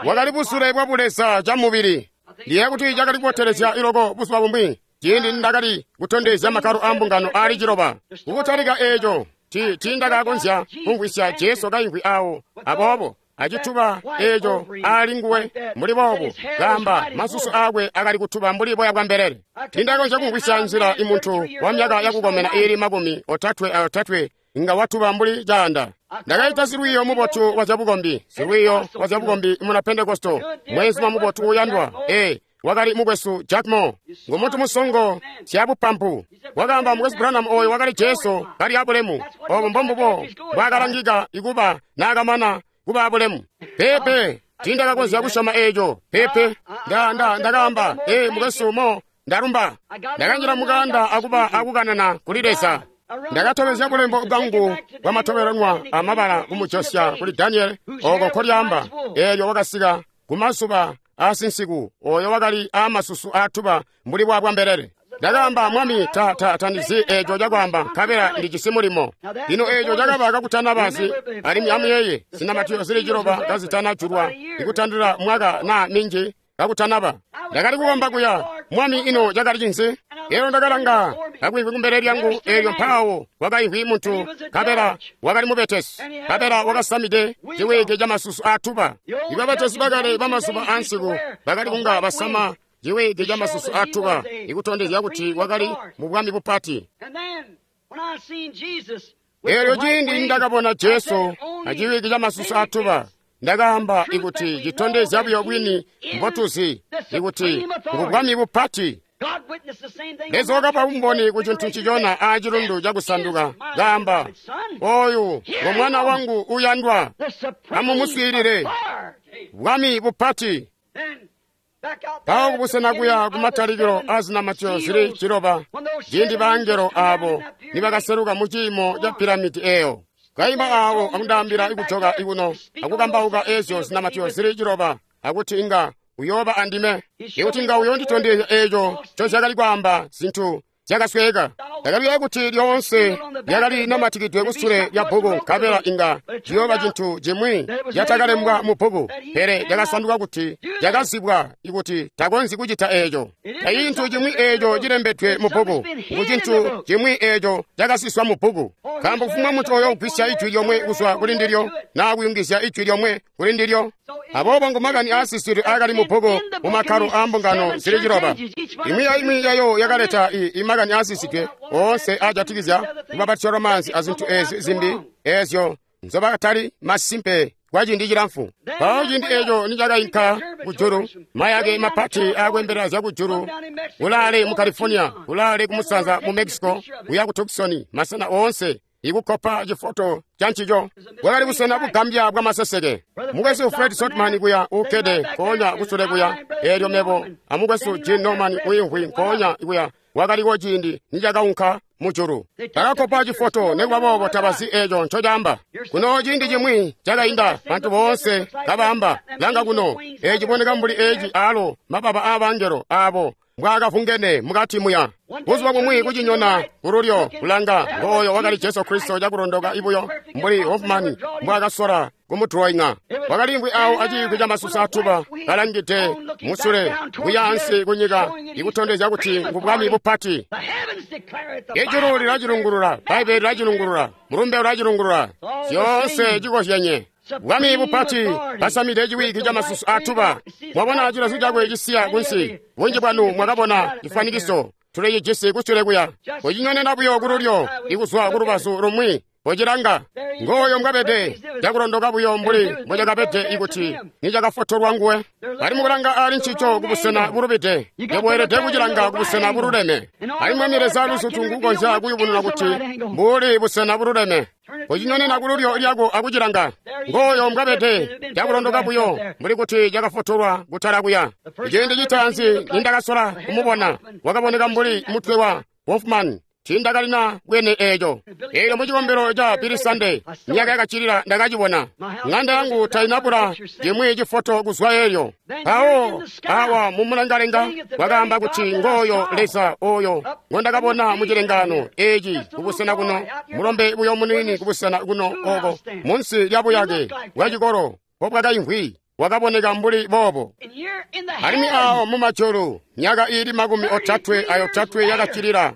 Wakali busule bwa buleza ca mubili. Ndiye kuti cakali kubotelezya iloko buzuba bumwi ciindi ndakali kutondezya makkalo a mbungano aali ciloba. Kukutalika eeco ti tiindakakonzya kumvwisya Jesu kaimvwi awo. Aboobo acituba eeco aali nguwe mbuli boobu, kaamba masusu aakwe akali kutuba mbuli boya bwa mbelele. Tiindakonzya kumvwisya nzila imuntu wa myaka yakukomena iili makumi otatwe aotatwe inga watuba mbuli caanda. Ndakaita silwiiyo mubotu wa zyabukombi, silwiiyo wa zyabukombi muna Pentekosto, mweenzuma mubotu uuyandwa. Ee, wakali mukwesu Jack Moore, ngumuntu musongo syabupampu. Wakaamba, mukwesu Branham, oyo wakali Jesu kali abulemu. Obo mbombubo mbwaakalangika ikuba naakamana kuba abulemu. Peepe, tiindakakonzya kusyoma eeco. Peepe, nda nda ndakaamba, ee, mukwesu Moore, ndalumba. Ndakanjila mukanda akuba akukanana kuli Leza. Ndakatobezya bulembo bwangu bwamatobelanwa amabala kumujosya kuli Daniel ooko nkolyaamba. Eelyo wakasika kumazuba aasinsiku oyo wakali aamasusu aatuba mbuli bwa bwambelele. Ndakaamba, Mwami, ta ta tandizi eeco cakwaamba, nkabela ndijisi mulimo. Lino eeco cakaba kakutanabazi, alimwi amuyeeye zinamatio zili ciloba kazitanajulwa ikutandila mwaka naa minji kakutanaba. Ndakali kukomba kuya, Mwami, ino cakali cinzi? Eelyo ndakalanga kakwimvwi kumbele lyangu, eelyo mpaawo kwakaimvwi muntu, nkabela wakali mubetesi, nkabela wakasamide ciwike camasusu aatuba. Ibabetesi bakale bamazuba aansiku bakali kunga basama ciwike camasusu aatuba, ikutondezya kuti wakali mu bwami bupati. Eelyo ciindi ndakabona Jesu aciwike camasusu aatuba, ndakaamba ikuti citondezya buyo bwini mbotuzi ikuti ngu bwami bupati. Leza wakapa bumboni ku cintu ncicona a cilundu cakusanduka, kaamba, oyu ngo mwana wangu uyandwa, amumuswiilile. Bwami bupati. Mpawo kubusena kuya kumatalikilo a zinamatyo zili ciloba, ciindi baangelo abo nibakaseluka mu ciimo ca piramidi eyo, kaima awo akundaambila ikujoka ikuno akukambauka ezyo zinamatyo zili ciloba, akuti inga uyooba andime, ikuti inga uyonditondezya eco ncozyakali kwaamba zintu zyakasweka. Ndakabika kuti lyoonse lyakali namatikidwe kusule lya bbuku, nkabela inga ciyooba cintu cimwi catakalembwa mu bbuku, pele lyakasanduka kuti lyakazibwa ikuti takonzyi kucita eeco. Tacintu cimwi eeco cilembedwe mu bbuku, ngu cintu cimwi eeco cakasiswa mu bbuku. Nkaambo kufumbwa muntu oyo ugwisya ijwi lyomwe kuzwa kuli ndilyo, naa kuyungizya ijwi lyomwe kuli ndilyo. Aboobo ngo makani aasisidwe aakali mu bbuku mu makkalo aambungano zili ciloba. Imwi aimwi yayo yakaleta i makani aasisidwe oonse aajatikizya kubabatizya lwamaanzi azintu ezi zimbi ezyo nzobakatali masimpe kwa ciindi cilamfu. Mpawo ciindi eeco nicakainka kujulu, mayake mapati aakwembelela zyakujulu kulaale mu California, kulaale kumusanza mu Mexico, kuya ku Tucson, masena oonse ikukkopa cifoto ca ncico. Bwakali busena bugambya bwa maseseke. Mukwesu Fred Sotman kuya uukkede nkoonya kusule kuya, eelyo mebo amukwesu Gene Norman uimvwi nkoonya kuya, wakaliko ciindi nicakaunka mujulu. Bakakkopa cifoto, nikuba boobo tabazi eeco ncocaamba. Kuno ciindi cimwi cakainda, bantu boonse kabaamba, langa kuno, eeci ciboneka mbuli eeci aalo mababa aabangelo aabo mbwaakavungene mukati muya. Buzuba bumwi kucinyona kululyo kulanga, ngooyo wakali Jesu Kristo cakulondoka ibuyo mbuli Hoffman mbwaakasola kumuduloinga. Wakaliimvwi awo aciikwi ca masusa atuba, kalangide musule kuya ansi kunyika, ikutondezya kuti ngu bwami bupati. Ijulu lilacilungulula, Bbaibbele lilacilungulula, mulumbe ulacilungulula, zyoonse cikozyenye. Bwami bupati basamide ciwiki ca masusu atuba. Mwabona cilazu cakwe cisiya kunsi. Bunji bwanu mwakabona cifwanikiso tulicijisi kusule kuya. Kucinyonena buyo kululyo ikuzwa kulubazu lumwi pocilanga. Ngooyo mbwabede cakulondoka buyo mbuli mbocakabede ikuti nicakafotolwa nguwe. Bali mukulanga ali ncico kubusena bulubide, yobweelede kucilanga kubusena bululeme. Alimwi Mwami Leza luzutu ngukonzya kuyubununa kuti mbuli busena bululeme. Kucinyonena kululyo lyako akucilanga. Ngooyo mbwabede cakulondoka buyo mbuli kuti cakafotolwa kutala kuya. Ciindi citaanzi nindakasola kumubona, wakaboneka mbuli mutwe wa Hoffman. Tiindakalina bwene eeco. Eelyo mu cikombelo ca Billy Sunday, myaka yakacilila ndakacibona. Ŋanda yangu tainabula cimwi cifoto kuzwa eelyo. Mpawo awa mumulengalenga wakaamba kuti ngooyo Leza oyo ngondakabona mu cilengano eeci kubusena kuno, mulombe buyo muniini kubusena kuno oko munsi lya buyake bwa cikolo mpobwakaimvwi, wakaboneka mbuli boobo. Alimwi awo mumajulu myaka iili makumi otatwe ayotatwe yakacilila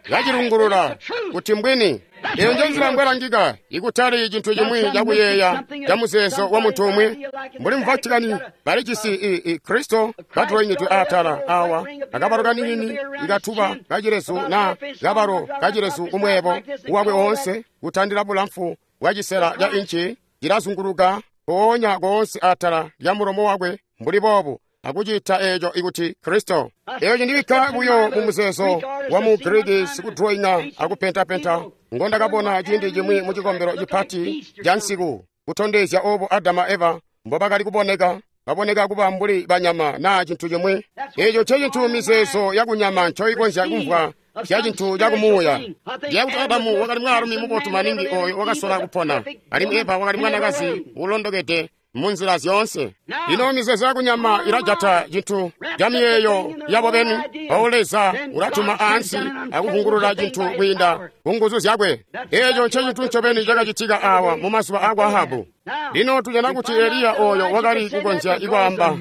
kacilungulula kuti mbwini. Eyo nje nzila mbwelangika, ikutali cintu cimwi cakuyeeya ca muzeezo wa muntu umwi. Mbuli mu Vatican balijisi i, i Kristo kaduloingidwe atala awa akabalo kaniini ikatuba kacilezu na kabalo kacilezu kumweebo wakwe woonse kutandila bulamfu bwa cisela ca inci cilazunguluka mpoonya koonse atala lya mulomo wakwe mbuli boobu, akucita eeco ikuti Kristo. Eeco cindibikka buyo mu muzeezo wa mu Giriki sikuduloinga akupentapenta ngondakabona ciindi cimwi mu cikombelo cipati ca nsiku, kutondezya obo Adamu a Eva mbobakali kuboneka, baboneka kuba mbuli banyama naa cintu cimwi. Eeco ncecintu mizeezo yakunyama ncoikonzya kumvwa zya cintu cakumuuya. Ndiyeeya kuti Adamu wakali mwaalumi mubotu maningi oyo wakasola kupona, alimwi Eva wakali mwanakazi uulondokede munzila zyoonse. Ino mizeezo yakunyama ilajata cintu ca miyeeyo yabo beni. Mpawo Leza ulatuma ansi akuvungulula cintu kwiinda ku nguzu zyakwe. Eeco ncecintu ncobeni cakacitika awa mu mazuba akwa Ahabu. Lino tujana kuti Eliya oyo wakali kukonzya ikwaamba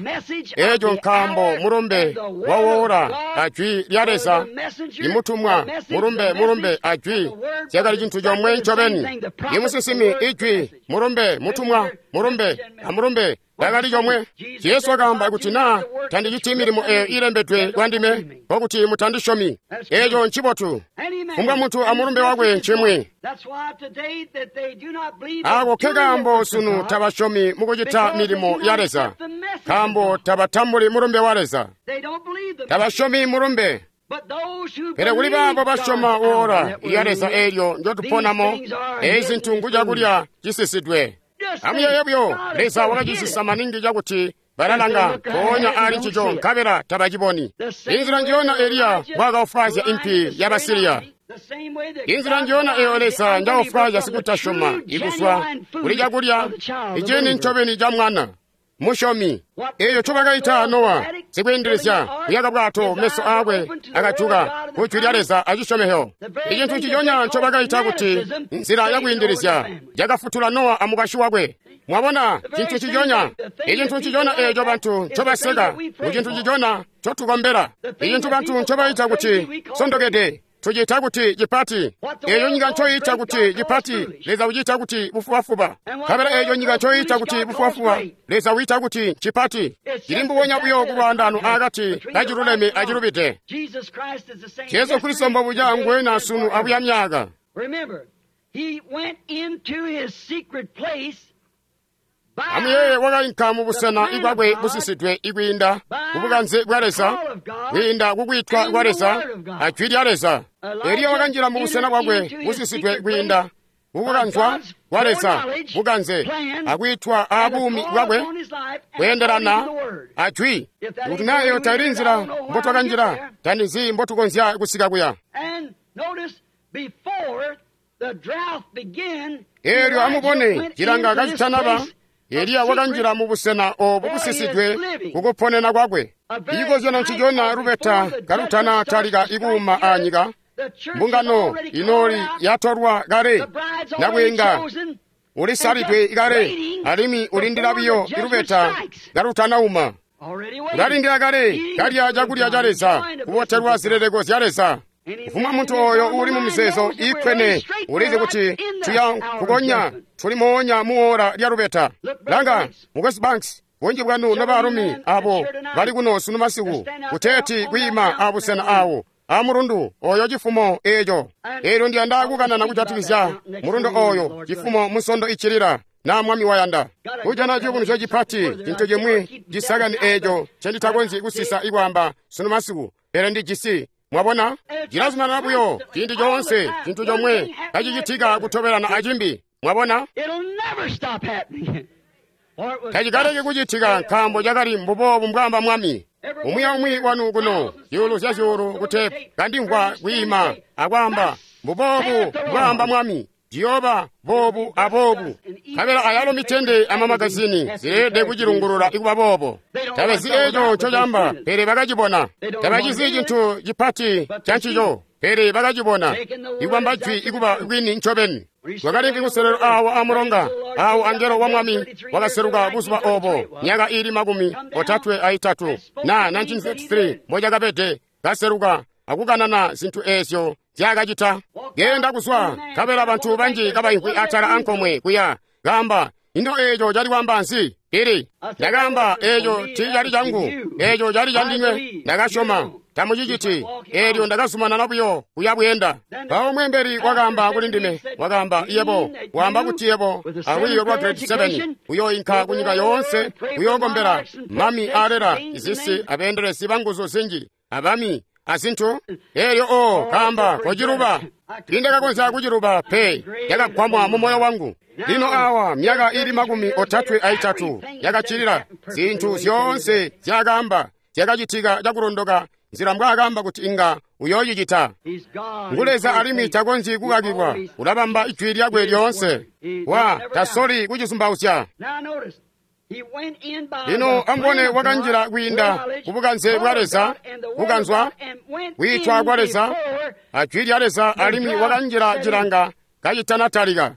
eeco nkaambo mulumbe wawoola ajwi lya Leza, imutumwa mulumbe mulumbe ajwi zyakali cintu comwe ncobeni. Imusinsimi ijwi mulumbe mutumwa mulumbe amulumbe yakali comwe. Jesu wakaamba kuti naa tandiciti milimo eyo ilembedwe kwandime, nkokuti mutandisyomi. Eeco ncibotu. Kufumbwa muntu amulumbe wakwe ncimwi. Ako ke kaambo sunu tabasyomi mukucita milimo ya Leza, nkaambo tabatambuli mulumbe wa Leza. Tabasyomi mulumbe. Pele kuli baabo basyoma oora lya Leza eelyo njotuponamo, eezi zintu ngu cakulya cisisidwe. Amuyeeye buyo, Leza wakacisisa maningi cakuti balalanga mpoonya aali ncico nkabela tabaciboni. Inzila njiyona Eliya mbwaakaofwaazya impi yaba Siriya. Inzila njiyona eyo Leza njaofwaazya sikutasyoma ikuzwa kuli cakulya icini ncobeni ca mwana musyomi. Eeyo ncobakaita Nowa sikwiindilizya kuyaka bwato, meso aakwe akajuka ku jwi lya Leza acisyomezyo. Icintu nciconya ncobakaita kuti nzila yakwiindilizya cakafutula Nowa amukwasyi wakwe. Mwabona, cintu nciconya, icintu nciconya eeco bantu ncobaseka, mucintu nciconya ncotukombela. Icintu bantu ncobaita kuti sondokede, tuciita kuti cipati. Eeyo nyika ncoyiita kuti cipati, Leza uciita kuti bufubafuba. Nkabela eeyo nyika ncoyiita kuti bufubafuba, Leza wiita kuti cipati. Cili mbubonya buyo kulwaandano akati kaciluleme acilubide. Jesu Kristo mbobuca nguwenya sunu abuya myaaka. Amuyeeye, wakainka mubusena ibwakwe busisidwe ikwiinda kubukanze bwa Leza, kwiinda kukwiitwa kwa Leza ajwi lya Leza. Eliya wakanjila mubusena bwakwe busisidwe kwiinda kukukanzwa kwa Leza, bukanze akwiitwa aabuumi bwakwe kweendelana ajwi. Kuti naa eyo taili nzila mbotwakanjila, tandizi mbotukonzya kusika kuya. Eelyo amubone, cilanga kacitanaba, Eliya wakanjila mubusena oobu busisidwe kukuponena kwakwe. Icikozyano ncicona lubeta kalutana talika ikuuma aanyika, mbungano inooli yatolwa kale, nabwiinga ulisalidwe kale, alimwi ulindila buyo ilubeta kalutanauma. Ulalindila kale kalya cakulya ca Leza, kubotelwa zileleko zya Leza. Kufumwa muntu ooyo uuli mumizeezo iikkwene ulizi kuti tuya nkukonya tuli moonya muora lya lubeta. Langa, Mukwesu Banks, bunji bwanu nobaalumi abo bali kuno sunu masiku kuteeti kwiima abusena awo amulundu oyo cifumo eeco. Eelyo ndiyanda kukanana kujatikizya mulundu oyo cifumo musondo icilila, na Mwami wayanda. Kujana ciyubunuzyo cipati, cintu cimwi cisakani eeco ncenditakonzyi kusisa ikwaamba sunu masiku, pele ndijisi. Mwabona, cilazumanana buyo ciindi coonse, cintu comwe kacicitika kutobelana acimbi. Mwabona, tacikaleki kucitika, nkaambo cakali mbuboobu mbwaamba Mwami. Umwi aumwi wanu kuno, zyuulu zya zyuulu kutepu, kandimvwa kwiima akwaamba mbuboobu mbwaamba Mwami, ciyooba boobu aboobu. Nkabela ayalo mitende amamagazini zileelede kucilungulula ikuba boobo. Tabazi eeco ncocaamba, pele bakacibona. Tabacizi cintu cipati cancico, pele bakacibona. Ikubamba jwi ikuba kwini ncobeni. Twakalimvwi kuselelo awo amulonga, awo angelo wa Mwami wakaseluka buzuba obo, myaka iili makumi otatwe aitatu na nineteen thirty-three mbocakabede, kaseluka akukanana zintu eezyo nzyaakacita. Genda kuzwa, nkabela bantu banji kabaimvwi atala ankomwe kuya, kaamba, ino eeco cali kwaamba nzi? Pili, ndakaamba, eeco tiicali cangu, eeco cali candinywe. Ndakasyoma, tamuciciti. Eelyo ndakazumanana buyo kuya bweenda. Mpawo mweembeli wakaamba kuli ndime, wakaamba, yebo waamba kuti yebo alwiiyo lwa grade seven uyooinka kunyika yoonse uyookombela mami aalela izisi abeendelezi banguzu zinji abami azintu. Eelyo o kaamba, kociluba. Tiindakakonzya kuciluba pe, yakagwamwa mu moyo wangu. Lino awa myaka ili makumi otatwe aitatu yakacilila, zintu zyoonse zyakaamba zyakacitika cakulondoka nzila mbwaakaamba kuti inga uyoocicita. Ngu Leza alimwi takonzyi kukakilwa, ulabamba ijwi lyakwe lyoonse. Wa tasoli kucizumbauzya. Lino amubone, wakanjila kwiinda kubukanze bwa Leza, kukanzwa, kwiitwa kwa Leza, ajwi lya Leza, alimwi wakanjila cilanga kacitanatalika.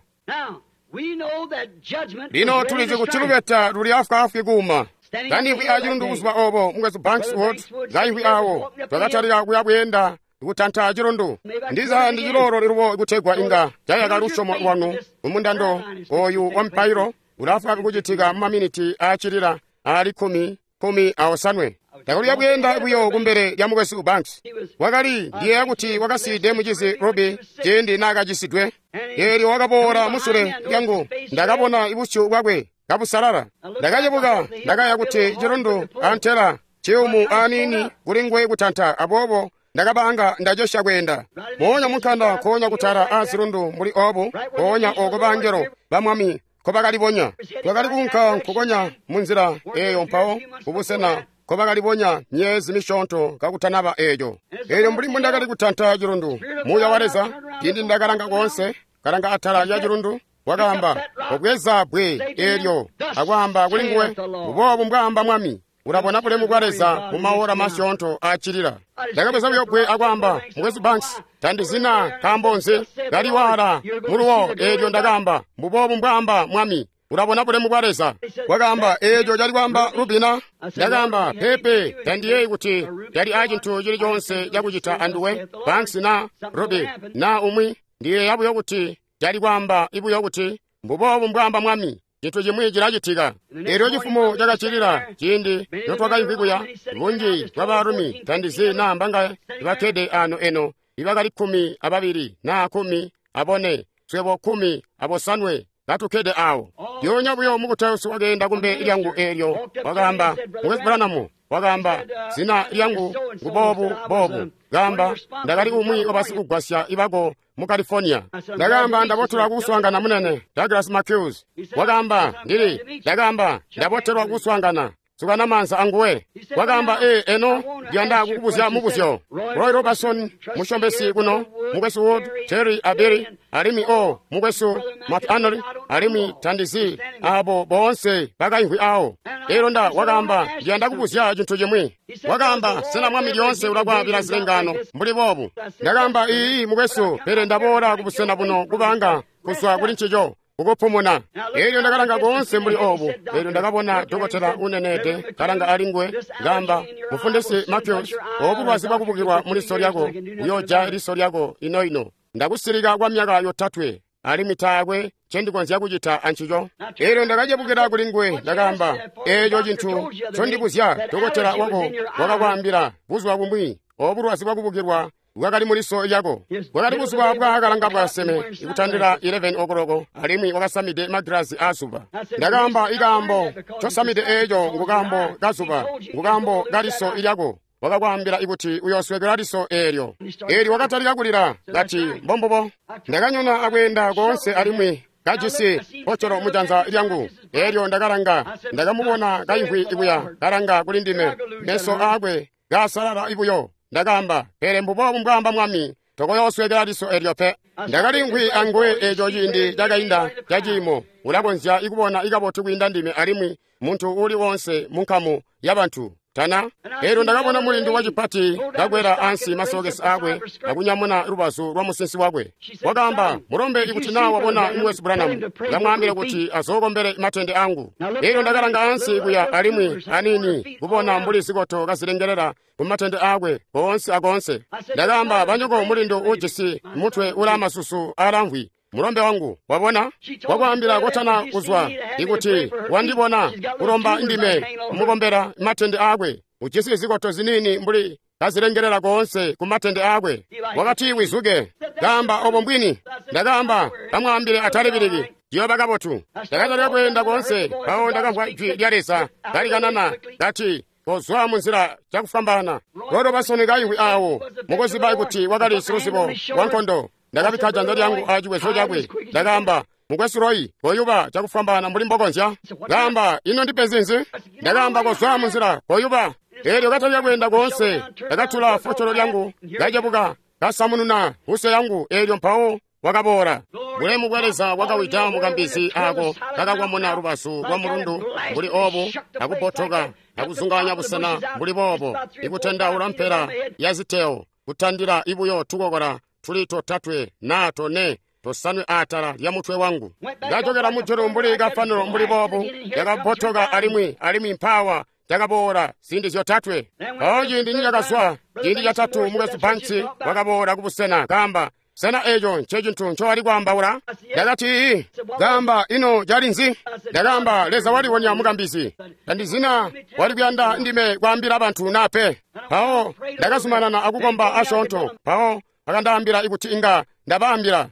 Lino tulizi kuti lubeta luli afwaafwi kuuma. Kandimvwi acilundu buzuba obo, Mukwesu Banks Wood kaimvwi awo, twakatalika kuya bweenda kutanta cilundu. Ndiza ndi cilolo lilubo kutegwa inga cayaka lusyomo lwanu mumundando oyu wa mpailo ulafwaafwi kucitika mu maminiti aacilila aali kkumi kkumi aosanwe. Ndakali bweenda buyo kumbele lya Mukwesu Banks. Wakali ndiyeeya kuti wakasiide mucizi Ruby ciindi naakacisidwe. Eelyo wakaboola musule lyangu, ndakabona busyu bwakwe kabusalala. Ndakacebuka, ndakaya kuti cilundu antela Ciyumu aniini kuli nguwe kutanta, aboobo ndakabaanga ndacesya kweenda. Moonya munkanda nkoonya kutala aazilundu mbuli obu, nkoonya oko bangelo ba Mwami nkobakalibonya. Twakali kuunka nkukonya munzila eeyo mpawo kubusena nkobakalibonya myeezi misyoonto kakutanaba eeco. Eelyo mbuli mbundakali kutanta cilundu, Muuya wa Leza, ciindi ndakalanga koonse, kalanga atala lya cilundu, wakaamba, "Kobweza bbwe eelyo," akwaamba kuli nguwe, "Mbuboobu mbwaamba Mwami, ulabona bulemu bwa Leza mu maora masyoonto aacilila." Ndakabweza buyo bbwe akwaamba, "Mukwesu Banks, tandizina nkaambo nzi kaliwaala muluwo." Eelyo ndakaamba, "Mbuboobu mbwaamba Mwami, ulabona bulemu bwa Leza." Wakaamba, "Eeco cali kwaamba Rubina?" Ndakaamba, "Peepe, tandiyeeyi kuti cali aacintu cili coonse cakucita anduwe, Banks na Ruby na umwi. Ndiyeeya buyo kuti cali kwaamba buyo kuti mbuboobu mbwaamba Mwami, cintu cimwi cilacitika." Eelyo cifumo cakacilila ciindi notwakaimvwi kuya, bunji bwa baalumi tandizi naa mbangaye bakkede ano eno, ibakali kkumi ababili naa kkumi abone, swebo kkumi abosanwe katukkede awo. Lyoonya buyo mukutausi wakeenda kumbe lyangu eelyo wakaamba, "Mukwesu Branham," wakaamba, "zina lyangu nguboobu boobu." Kaamba, "Ndakali umwi wabasikugwasya ibako mu California." Ndakaamba, "Ndabotelwa kuswaangana munene Douglas Matthews." Wakaamba, "Ndili." Ndakaamba, "Ndabotelwa kuswaangana. Sukana maanza anguwe." Wakaamba, "Ee, eno ndiyanda kukubuzya mubuzyo. Roy Robertson musyombesi kuno, mukwesu Wood, Terry Abeli, alimwi o mukwesu McAnally, alimwi tandizi abo boonse bakaimvwi awo." Eelyo nda wakaamba, "Ndiyanda kubuzya cintu cimwi." Wakaamba, "Sena Mwami lyoonse ulakwaabila zilengaano mbuli boobu?" Ndakaamba, "Iiyi mukwesu, pele ndaboola kubusena buno kubanga kuzwa kuli ncico kukupumuna." Eelyo ndakalanga koonse mbuli obu. Eelyo ndakabona dokotela uneneede kalanga ali nguwe, ngamba, "Mufundisi Matthews, obu bulwazi bwakubukilwa muliso lyako buyoja liso lyako ino-ino. Ndakusilika kwa myaka yotatwe, alimwi taakwe ncendikonzya kucita ancico." Eelyo ndakacebukila kuli nguwe, ndakaamba, "Eeco cintu ncondibuzya, dokotela wako wakakwaambila buzuba bumwi, obu bulwazi bwakubukilwa bwakali muliso lyako. Bwakali buzuba bwakalanga bwaseme ikutandila eleven o'clock, alimwi wakasamide magilazi aazuba." Ndakaamba, "Ikaambo ncosamide eeco ngukaambo kazuba, ngukaambo kaliso lyako. Wakakwaambila ikuti uyooswekela liso eelyo." Eelyo wakatalika kulila, kati, "Mbombubo." Ndakanyona akweenda koonse alimwi kajisi pocolo mujanza lyangu. Eelyo ndakalanga, ndakamubona kaimvwi kuya kalanga kuli ndime, meso aakwe kaasalala ibuyo. Ndakaamba, "Pele mbuboobu mbwaamba Mwami, tokoyooswekela liso eelyo pe." Ndakalimvwi anguwe eeco ciindi cakainda caciimo. Ulakonzya ikubona ikabotu kwiinda ndime alimwi muntu uuli woonse munkamu yabantu. Tana. Eelyo ndakabona mulindu wacipati kakwela ansi masokesi aakwe akunyamuna lubazu lwa musinsi wakwe. Wakaamba, "Mulombe, ikuti naa wabona Mukwesu Branham, ndamwaambila kuti azookombele matende angu." Eelyo ndakalanga ansi kuya alimwi aniini kubona mbuli zikoto kazilengelela kumatende aakwe koonse akoonse. Ndakaamba, "Banyoko mulindu ujisi mutwe ulaamasusu aalamvwi, mulombe wangu, wabona? Wakwaambila kotana kuzwa ikuti wandibona kulomba ndime kumukombela matende aakwe. Ujisi zikoto ziniini mbuli kazilengelela koonse ku matende aakwe." Wakati, "Wizuke." Kaamba, "Obo mbwini." Ndakaamba, "Kamwaambile atalibiliki, ciyooba kabotu." Ndakatalika kweenda koonse, mpawo ndakamvwa jwi lya Leza kalikanana kati, "Kozwa munzila cakufwambaana." Roy Robertson kaimvwi awo, mukuziba kuti wakali siluzibo wa nkondo. Ndakabikka janza lyangu aciwezo cakwe. Ndakaamba, "Mukwesu Roy, koyuba cakufwambaana mbuli mbokonzya." Kaamba, "Ino ndipenzi nzi?" Ndakaamba, "Kozwa munzila, koyuba." Eelyo katalika kweenda koonse, ndakatula focolo lyangu, kacebuka, kasamununa huse yangu, eelyo mpawo wakaboola. Bulemu bwa Leza bwakawida mukambizi aako kakakwamuna lubazu lwa mulundu mbuli obu, akubotoka, akuzunganya busena mbuli boobo, ikutendaula mpela ya ziteo, kutandila ibuyo tukokola tuli totatwe naa tone tosanwe atala lya mutwe wangu. Ndajokela mujulu mbuli kafanilo mbuli boobu, yakabotoka alimwi alimwi mpawa cakaboola ziindi zyotatwe. Mpawo ciindi nicakazwa ciindi catatu, Mukwesu Banks wakaboola kubusena, kaamba, "Sena eeco ncecintu ncowali kwaambaula?" Ndakati, "Iiyi." Kaamba, "Ino cali nzi?" Ndakaamba, "Leza waliwonya mukambizi. Tandizina wali kuyanda ndime kwaambila bantu naa pe." Mpawo ndakazumanana akukomba asyoonto. Mpawo akandaambila ikuti inga ndabaambila.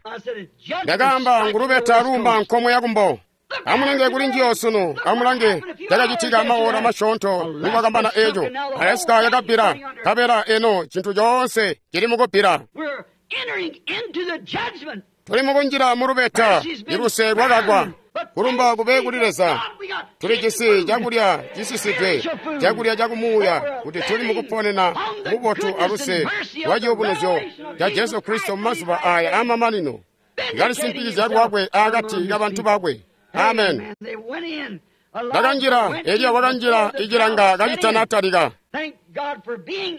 Ndakaamba, "Ngulubeta lumba nkomwe yakumbo." Amulange kuli njiyo sunu, amulange cakacitika maora masyoonto nikwakambana eco. Alaska yakabbila, nkabela eno cintu coonse cili mukubbila. Tuli mukunjila mu lubeta, iluse lwakagwa. Kulumba kube kuli Leza. Tuli jisi cakulya cisisidwe, cakulya cakumuuya, kuti tuli mukuponena mubotu aluse lwa ciyubunuzyo ca Jesu Kristo mumazuba aya amamanino. Kalisimpikizya lwakwe akati kabantu bakwe. Amen. Bakanjila, Eliya wakanjila icilanga kacitanatalika.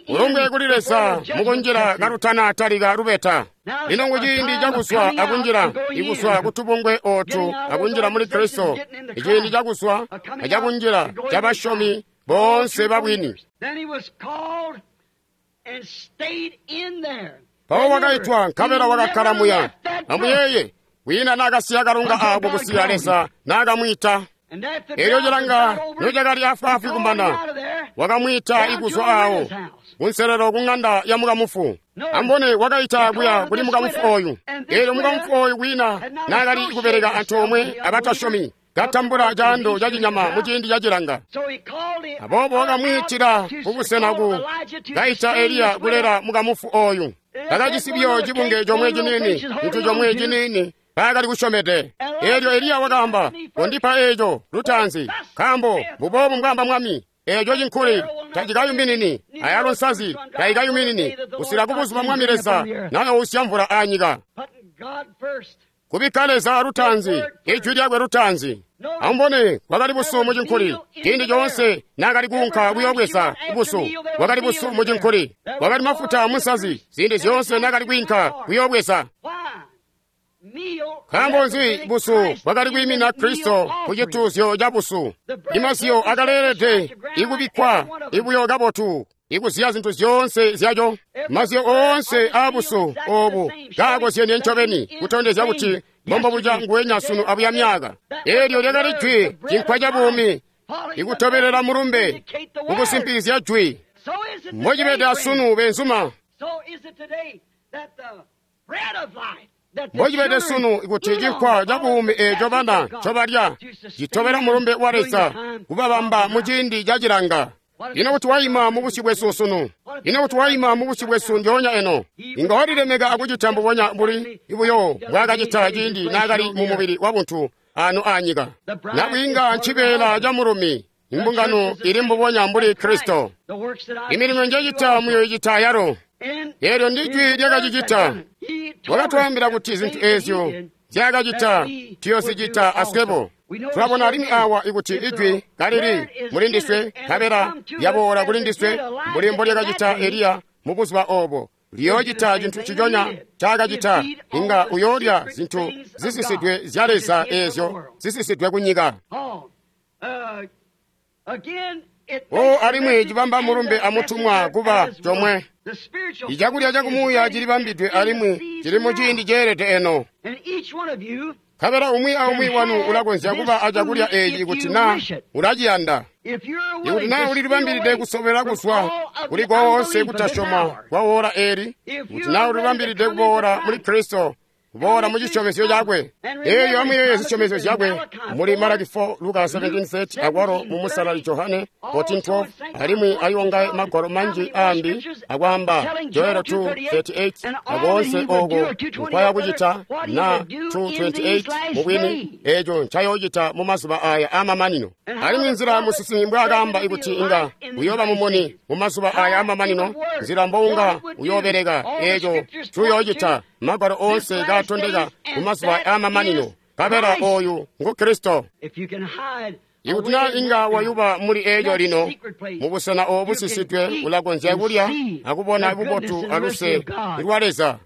Ulumbe kuli Leza mukunjila kalutanatalika lubeta. Lino kuciindi cakuzwa akunjila, ikuzwa kutubungwe ootu akunjila muli Kristo, iciindi cakuzwa acakunjila cabasyomi boonse babwini. Mpawo wakaitwa nkabela wakakkala muya. Amuyeeye, kwiina naakasiya kalunga aako kusiya Leza naakamwiita. Elyo cilanga nocakali afwaafwi kumana, wakamwiita ikuzwa aawo kunselelo ku ŋanda ya mukamufu. Ambone wakaita kuya kuli mukamufu ooyu. Elyo mukamufu ooyu kwiina naakali kubeleka antoomwe abatasyomi, katambula caando ca cinyama muciindi ca cilanga. Aboobo wakamwiitila kubusena ku kaita Eliya kulela mukamufu ooyu. Bakajisi buyo cibunge comwe ciniini, cintu comwe ciniini bakali kusyomede. Eelyo Eliya wakaamba, "Kondipa eeco lutaanzi, nkaambo mbuboobu mbwaamba Mwami, eeco cinkuli tacikayuminini, ayalo nsazi tayikayuminini, kusika kubuzuba Mwami Leza nayousya mvula anyika." Kubikka Leza lutaanzi, ijwi lyakwe lutaanzi. Amubone, kwakali busu mucinkuli. Ciindi coonse naakali kuunka kuyoobweza busu, kwakali busu mucinkuli. Kwakali mafuta munsazi, ziindi zyoonse naakali kwiinka kuyoobweza. Nkaambo nzi busu bwakali kwiimina Kristo ku cituuzyo ca busu? Imaziyo akaleelede ikubikkwa ibuyo kabotu, ikuziya zintu zyoonse zyaco. Maziyo oonse aabusu oobu kaakozyenie ncobeni, kutondezya kuti mbombobuca nguwenya sunu abuya myaka. Eelyo lyakali jwi, cinkwa ca buumi, ikutobelela mulumbe, kukusimpizya jwi. Mbocibede asunu, benzuma. Mbocibede sunu kuti cinkwa ca buumi eeco bana ncobalya citobela mulumbe wa Leza kubabamba muciindi ca cilanga. Ino kuti waima mubusyu bwesu sunu? Ino kuti waima mubusyu bwesu ndyoonya eno? Inga walilemeka akucita mbubonya mbuli buyo mbwaakacita ciindi naakali mumubili wabuntu ano aanyika. Nabwiinga ncibeela ca mulumi, imbungano ili mbubonya mbuli Kristo. Imilimo njecita muyoicita ayalo. Eelyo ndi jwi lyakacicita. Wakatwaambila kuti zintu eezyo nzyaakacita tuyoozicita aswebo. Tulabona alimwi awa ikuti ijwi kalili muli ndiswe, nkabela lyaboola kuli ndiswe mbuli mbolyakacita Eliya mubuzuba oobo. Liyoocita cintu nciconya ncaakacita, inga uyoolya zintu zisisidwe zya Leza eezyo zisisidwe kunyika. O alimwi cibamba mulumbe amutumwa kuba comwe. Icakulya cakumuuya cilibambidwe alimwi cili muciindi ceelede eno. Nkabela umwi aumwi wanu ulakonzya kuba acakulya eeci kuti naa ulaciyanda. Ikuti naa ulilibambilide kusobela kuzwa kuli koonse kutasyoma kwa woola eeli, kuti naa ulilibambilide kuboola muli Kristo, kuboola mu cisyomezyo cakwe. Eelyo amuyeeye zisyomezyo zyakwe muli Malaki four, Luka seventeen thirty, akwalo mu Musalali Johane fourteen twelve, alimwi ayonga magwalo manji aambi akwaamba Joel two thirty-eight, akoonse ooko nkwaya kucita na two twenty-eight mubwini eeco ncayoocita mu mazuba aya amamanino. Alimwi nzila musinsimi mbwaakaamba ikuti inga uyooba mumuni mu mazuba aya amamanino, nzila mbounga uyoobeleka eeco cuyoocita, magwalo oonse kaatondeka mu mazuba amamanino. Nkabela ooyu ngu Kristo. Ikuti naa inga wayuba muli eeco lino, mubusena oobu busisidwe ulakonzya kulya akubona bubotu aluse lwa Leza.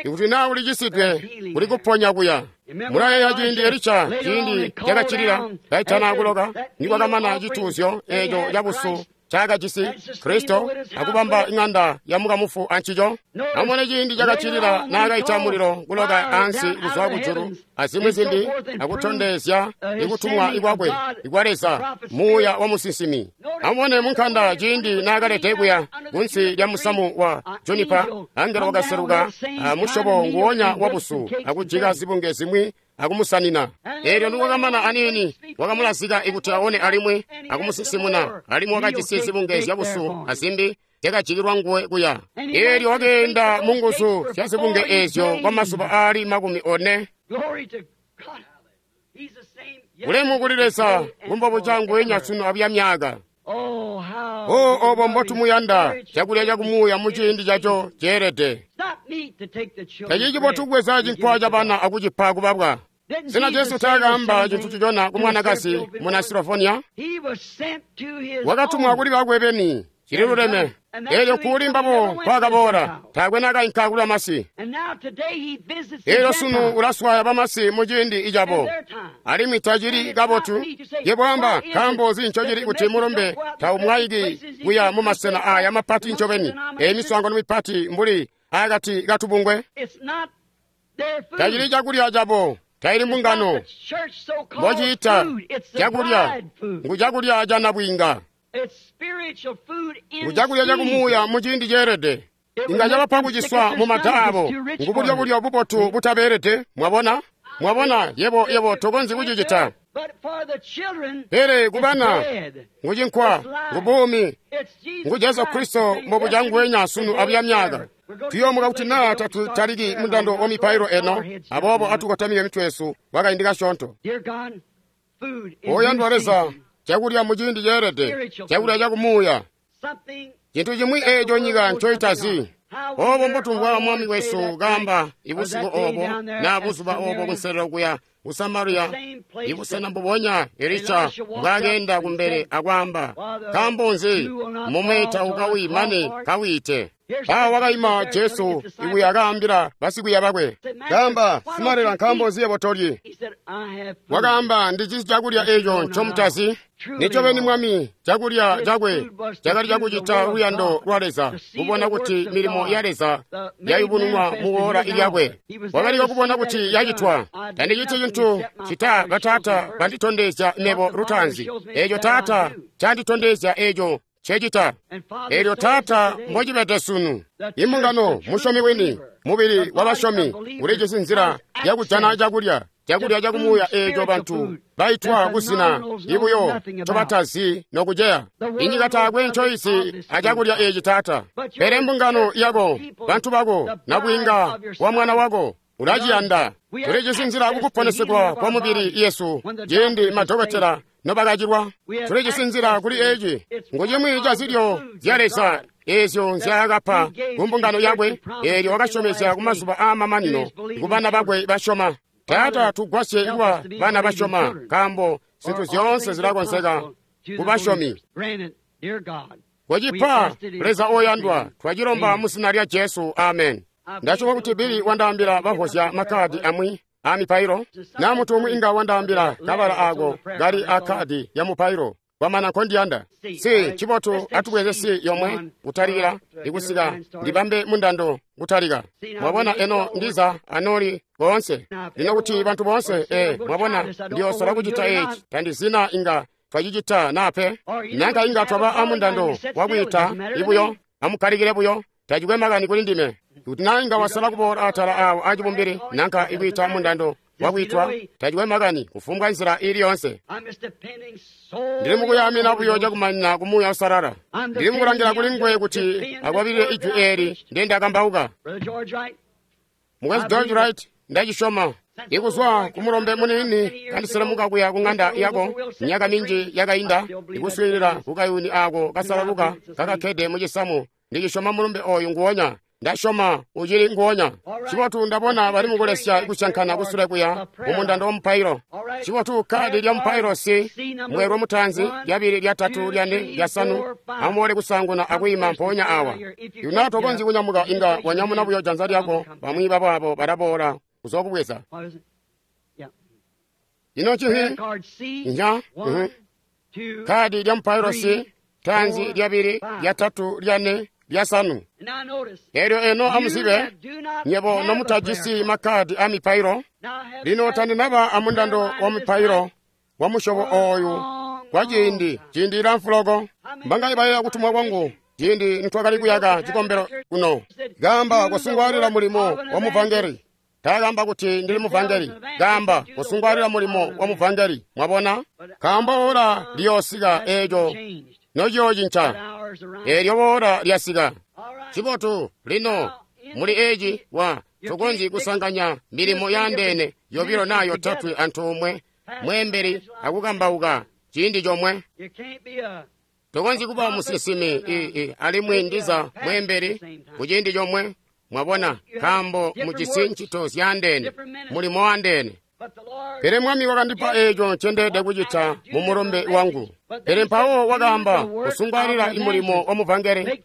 Ikuti naa ulicisidwe, kuli kuponya kuya. Mulayeeya ciindi Elisha, ciindi cakacilila kaitana kuloka, nikwakamana cituuzyo eeco cabusu ncaakajisi Kristo akubamba iŋanda ya mukamufu ancico. Amubone ciindi cakacilila naakaita mulilo kuloka ansi kuzwa kujulu azimwi zimbi akutondezya ikutumwa ikwakwe ikwa Leza muuya wa musinsimi. Amubone munkanda ciindi naakalede kuya kunsi lya musamu wa junipa, angelo wakaseluka musyobo nguwonya wabusu akujika zibunge zimwi akumusanina. Eelyo nikwakamana aniini wakamulazika ikuti aone alimwi akumusinsimuna, alimwi wakajisi zibunge zyabusu azimbi zyakajikilwa nguwe kuya. Eelyo wakeenda munguzu zya zibunge eezyo kwa mazuba aali makumi one. Ulemu kuli Leza, kumbobuca nguwenya sunu abuya myaka. O obo mbotumuyanda, cakulya cakumuuya muciindi caco ceelede. Tacili cibotu kubweza cinkwa cabana akucipa kubabwa. Sena Jesu taakaamba cintu cicona ku mwanakazi muna Sirofonia? Wakatumwa kuli bakwe beni, cili luleme. Eelyo kuli mbabo kwakaboola, taakwe naakainka kuli bamasi. Eelyo sunu ulaswaya bamasi muciindi icabo, alimwi tacili kabotu. Yebo amba, nkaambo nzi ncocili kuti mulumbe taumwaiki kuya mumasena aya mapati ncobeni, eyi miswaangano mipati mbuli akati katubungwe? Tacili cakulya cabo, taili mbungano mbociita cakulya, ngu cakulya ca nabwiinga. Ngu cakulya cakumuuya muciindi ceelede. Inga cabapa kuciswa mumada abo, ngu bulyo-bulyo bubotu butabeelede. Mwabona? Mwabona, yebo yebo tokonzyi kucicita. Pele kubana ngu cinkwa, ngu buumi, ngu Jesu Kristo mbobuca nguwenya sunu abuya myaka. Tuyoomuka kuti naa tatutaliki mundando wa mipailo eno, aboobo atukotamike mitwe yesu kwakaindi kasyoonto. Oyandwa Leza, cakulya muciindi ceelede, cakulya cakumuuya, cintu cimwi eeco nyika ncoitazi. Obo mbotumvwa Mwami wesu kaamba ibusiku obo na buzuba obo kunselelo kuya ku Samariya, ibusena mbubonya Elisha mbwakeenda kumbele akwaamba, nkaambo nzi mume taukawi mane kawiite? Awa wakaima Jesu ikuya akaambila basikwiiya bakwe, kaamba, simalela, nkaambo nzi yebo tolyi? Wakaamba, ndijisi cakulya eeco ncomutazi. Nincobeni Mwami, cakulya cakwe cakali cakucita luyando lwa Leza, kubona kuti milimo ya Leza yayubununwa muwoola lyakwe. Wakaliko kubona kuti yacitwa. Tandiciti cintu cita bataata banditondezya mebo lutaanzi. Eeco Taata canditondezya eeco ncecita. Eelyo Taata mbocibede sunu. Imbungano, musyomi wini, mubili wabasyomi, ulijisi nzila yakujana cakulya, cakulya cakumuuya eeco bantu baitwa kuzina ibuyo ncobatazi nokuceya. Inyika taakwe ncoizi acakulya eeci Taata. Pele mbungano yako, bantu bako, nabwiinga wa mwana wako ulaciyanda. Tulijisi nzila kukuponesegwa kwa mubili yesu ciindi madokotela nobakacilwa. Tulijisi nzila kuli eeci, ngu cimwi ca zilyo zya Leza eezyo nzyaakapa kumbungano yakwe, eelyo wakasyomezya kumazuba aamamanino kubana bakwe basyoma. Taata, tugwasye kuba bana basyoma, nkaambo zintu zyoonse zilakonzeka kubasyomi. Kocipa, Leza oyandwa, twacilomba muzina lya Jesu, amen. Ndasyoma kuti Bili wandaambila bavozya makkaadi amwi aamipailo, naa muntu umwi inga wandaambila kabala aako kali akkaadi ya mupailo. Kwamana nkondiyanda. Si cibotu atubweze si yomwe kutalikila ikusika ndibambe mundando kutalika. Mwabona eno ndiza anoli boonse. Lino kuti bantu boonse e mwabona ndiyosola kucita eeci tandizina inga twacicita nape. Nanka inga twaba amundando wakwiita ibuyo amukkalikile buyo tacikwe makani kuli ndime. Kuti naa inga wasala kuboola atala awo acibumbili nanka ikwiita mundando wakwitwa tacikwe makani kufumbwa nzila ili yonse. Ndili mukuyamina buyo cakumanina ku Muuya Uusalala. Ndili mukulangila kuli nguwe kuti akwabilile ijwi eeli ndendakambauka. Mukwesu George Wright, ndacisyoma. Ikuzwa kumulombe muniini kandiselemuka kuya ku ŋanda yako myaka minji yakainda, ikuswiilila kukayuni aako kasalaluka kakakkede mucisamu, ndicisyoma mulumbe ooyu nguwonya. Ndasyoma ucili nguwonya. Cibotu ndabona bali mukulesya kusyankana kusule kuya mumundando wa mupailo. Cibotu kkaadi lya mupailo si mweelwe mutaanzi, lyabili, lyatatu, lyane, lyasanu. Amuboole kusaanguna akwiima mpoonya awa. Yuna tokonzyi kunyamuka inga wanyamuna buyo janza lyako, bamwi babaabo balaboola kuzookubweza. Ino ncihi? Nya? Kkaadi lya mupailo si taanzi, lyabili, lyatatu, lyane, lyasanu. Eelyo eno amuzibe, nyebo nomutajisi makkaadi a mipailo. Lino tandinaba amundando wa mipailo wa musyobo ooyu kwa ciindi, ciindi cilamfu loko. Mbangayi bayeeya kutumwa kwangu ciindi nitwakali kuyaka cikombelo kuno. Kaamba kusungwaalila mulimo wa muvangeli. Taakamba kuti ndili muvangeli. Kaamba kusungwalira mulimo wa muvangeli. Mwabona? Kaamba ora liyoosika eeco nociyoocinca. Eelyo ora lyasika. Cibotu lino muli eeci wa tukonzyi kusanganya milimo yaandeene yobilo naa yotatwe antoomwe mweembeli akukambauka ciindi comwe. Tukonzyi kuba musinsimi alimwi ndiza mweembeli kuciindi comwe. Mwabona, nkaambo mujisi ncito zyaandeene, mulimo waandeene. Pele Mwami wakandipa eeco ncendeelede kucita mu mulumbe wangu. Pele mpawo wakaamba kusungwalira mulimo wa muvangeli,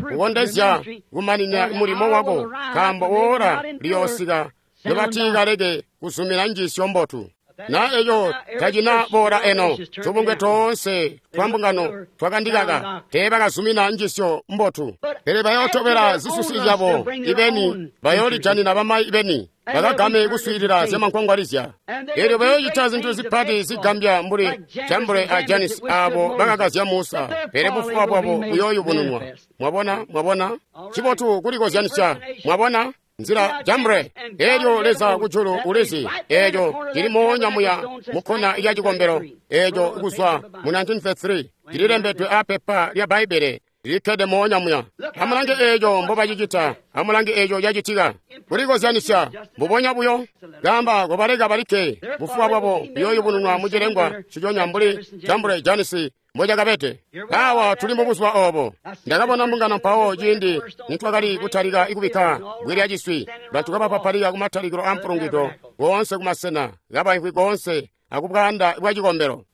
kukondezya kumanina mulimo wako, nkaambo ora liyoosika nobatiikaleke kuzumina njiisyo mbotu. Na eco tacina boola eno, tubungwe toonse twa mbungano twakandikaka teebakazumina njiisyo mbotu. Pele bayootobela zisusi zyabo ibeni, bayoolijanina bamayi ibeni, bakagame kuswiilila zyamankwangwalizya. Eelyo bayoocita zintu zipati zigambya mbuli Jambure a Janisi aabo bakakazya Musa, pele bufuba bwabo buyooyubununwa. Mwabona, mwabona? Cibotu kulikozyanisya. Mwabona? Nzila Jambre, eelyo Leza kujulu ulizi, eeco cili moonya muya mukkona lya cikombelo, eeco kuzwa mu nineteen thirty-three, cililembedwe apepa lya Bbaibbele lilikkede moonya muya. Amulange eeco mbobacicita, amulange eeco cacitika. Kulikozyanisya mbubonya buyo. Kaamba kobaleka balikke, bufuba bwabo buyooyubununwa mucilengwa nciconya mbuli Jambre Janisi mbocakabede. Awa tuli mubuzuba oobo. Ndakabona mbungano mpawo ciindi nitwakali kutalika kubikka bwi lya ciswi, bantu kabapapalika kumatalikilo a mpulungwido koonse kumasena, kabaimvwi koonse akubwaanda bwa cikombelo.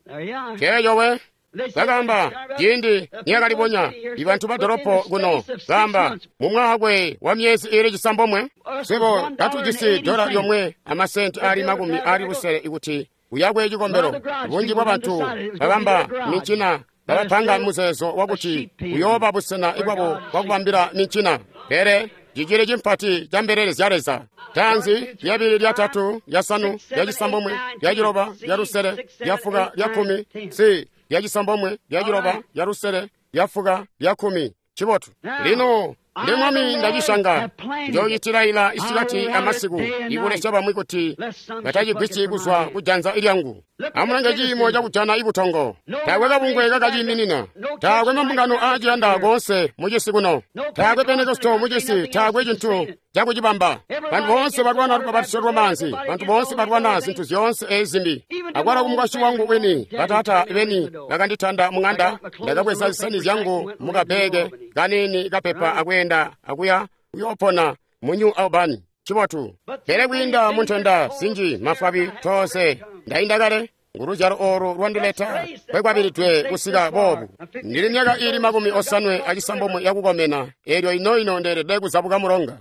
Ceeco we. Bakaamba ciindi niyakalibonya ibantu ba dolopo kuno, kaamba mu mwakwe wa myezi iili cisambomwe, swebo katujisi dola lyomwe amasenti aali makumi aali lusele ikuti uyakwe cikombelo. Bunji bwa bantu babamba mincina babapanga muzeezo wakuti uyooba busena bwabo bwakubambila mincina. Pele cicili cimpati ca mbelele zya Leza. Taanzi, lyabili, lyatatu, lyasanu, lyacisambomwe, lyaciloba, lyalusele, lyafuka, lyakkumi, si lyacisambomwe, lyaciloba, lyalusele, lyafuka, lyakkumi. Cibotu. Lino ndi Mwami ndacishanga, njoocitilaila isikati amasiku, ikulesya bamwi kuti batacigwisyi kuzwa kujanza lyangu. Amulange ciimo cakujana ibutongo. Taakwe kabungwe kakaciiminina. Taakwe mambungano aaciyanda koonse mucisi kuno. Taakwe Pentekosto mucisi, taakwe cintu cakucibamba. Bantu boonse balwana lubapatizo lwamaanzi, bantu boonse balwana zintu zyoonse eezi zimbi. Akwalo kumukwasyi wangu wini, bataata beni bakanditanda muŋanda, ndakabweza zisani zyangu mukabbeeke kaniini kapepa akweenda akuya kuyoopona mu New Albany. Cibotu. Pele kwiinda muntenda zinji mafwabi toose ndainda kale. Nguluzyalo oolu lwandileta kwekwabilidwe kusika boobu. Ndili myaka iili makumi osanwe acisambomwe yakukomena, eelyo ino-ino ndeelede kuzabuka mulonga.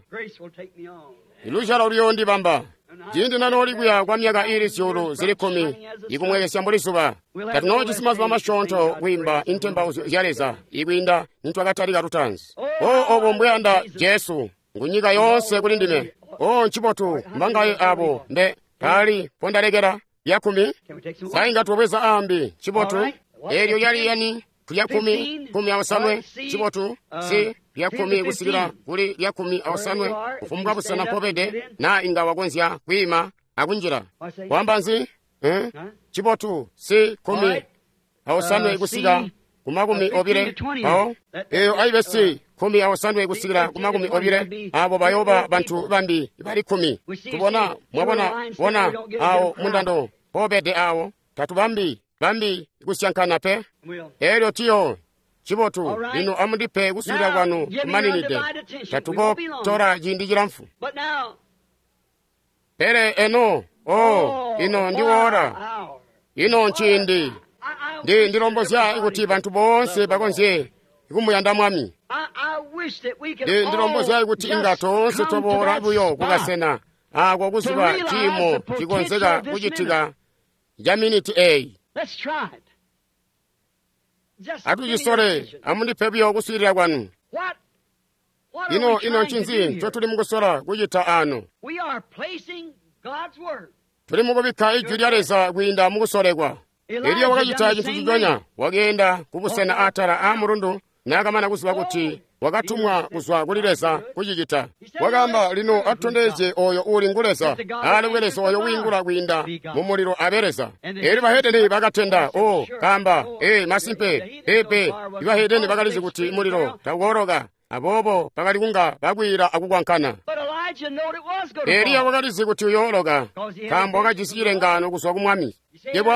Iluzyalo luyoondibamba. Ciindi nanooli kuya kwa myaka iili zyuulu zili kkumi, ikumwekesya mbuli zuba. Tatunoojisi mazuba masyoonto kwiimba intembauzyo zya Leza ikwiinda nitwakatalika lutaanzi. O obo mbweyanda Jesu, ngunyika yoonse kuli ndime. O ncibotu mbangaye abo mbe taali pondalekela lyakkumi. Sainga tubweza aambi. Cibotu. Eelyo lyali yani lyakkumi, kumi aosanwe. Cibotu. Si lyakkumi kusikila kuli lyakkumi aosanwe, kufumbwa busena mpobede, naa inga wakonzya kwiima akunjila. Wamba nzi? Eh? Cibotu. Si kumi aosanwe kusika ku makumi obile. Mpawo eyo aibe si kumi aosanwe kusikila ku makumi obile, abo bayooba bantu bambi bali kkumi. Tubona, mwabona, bona awo mundando mpobede awo, tatubambi bambi kusyankana pe. Eelyo tiyo cibotu. Lino amundipe kuswiilila kwanu kumaninide, tatukotola ciindi cilamfu. Pele eno, o ino ndiwoora, ino nciindi. Ndi ndilombozya kuti bantu boonse bakonzye kumuyanda Mwami. Ndi ndilombozya kuti inga toonse toboola buyo kukasena ako kuziba ciimo cikonzeka kucitika ca miniti eyi. Atucisole, amundipe buyo kuswiilila kwanu. Ino ino ncinzi ncotuli mukusola kucita ano? Tuli mukubikka ijwi lya Leza kwiinda mukusolekwa. Eliya wakacita cintu ciconya, wakeenda kubusena atala a mulundu naakamana kuziba kuti Wakatumwa kuzwa kuli Leza kucicita. Wakaamba lino atondezye oyo uli ngu Leza, alekwe Leza oyo wiingula kwiinda mu mulilo abe Leza. Elyo bahedeni bakatenda, o kaamba, ee masimpe, pepe. Ibahedeni bakalizi kuti mulilo taukooloka, aboobo bakali kunga bakwiila akukwankana. Eliya wakalizi kuti uyooloka, nkaambo wakajisi cilengaano kuzwa ku Mwami. Yebo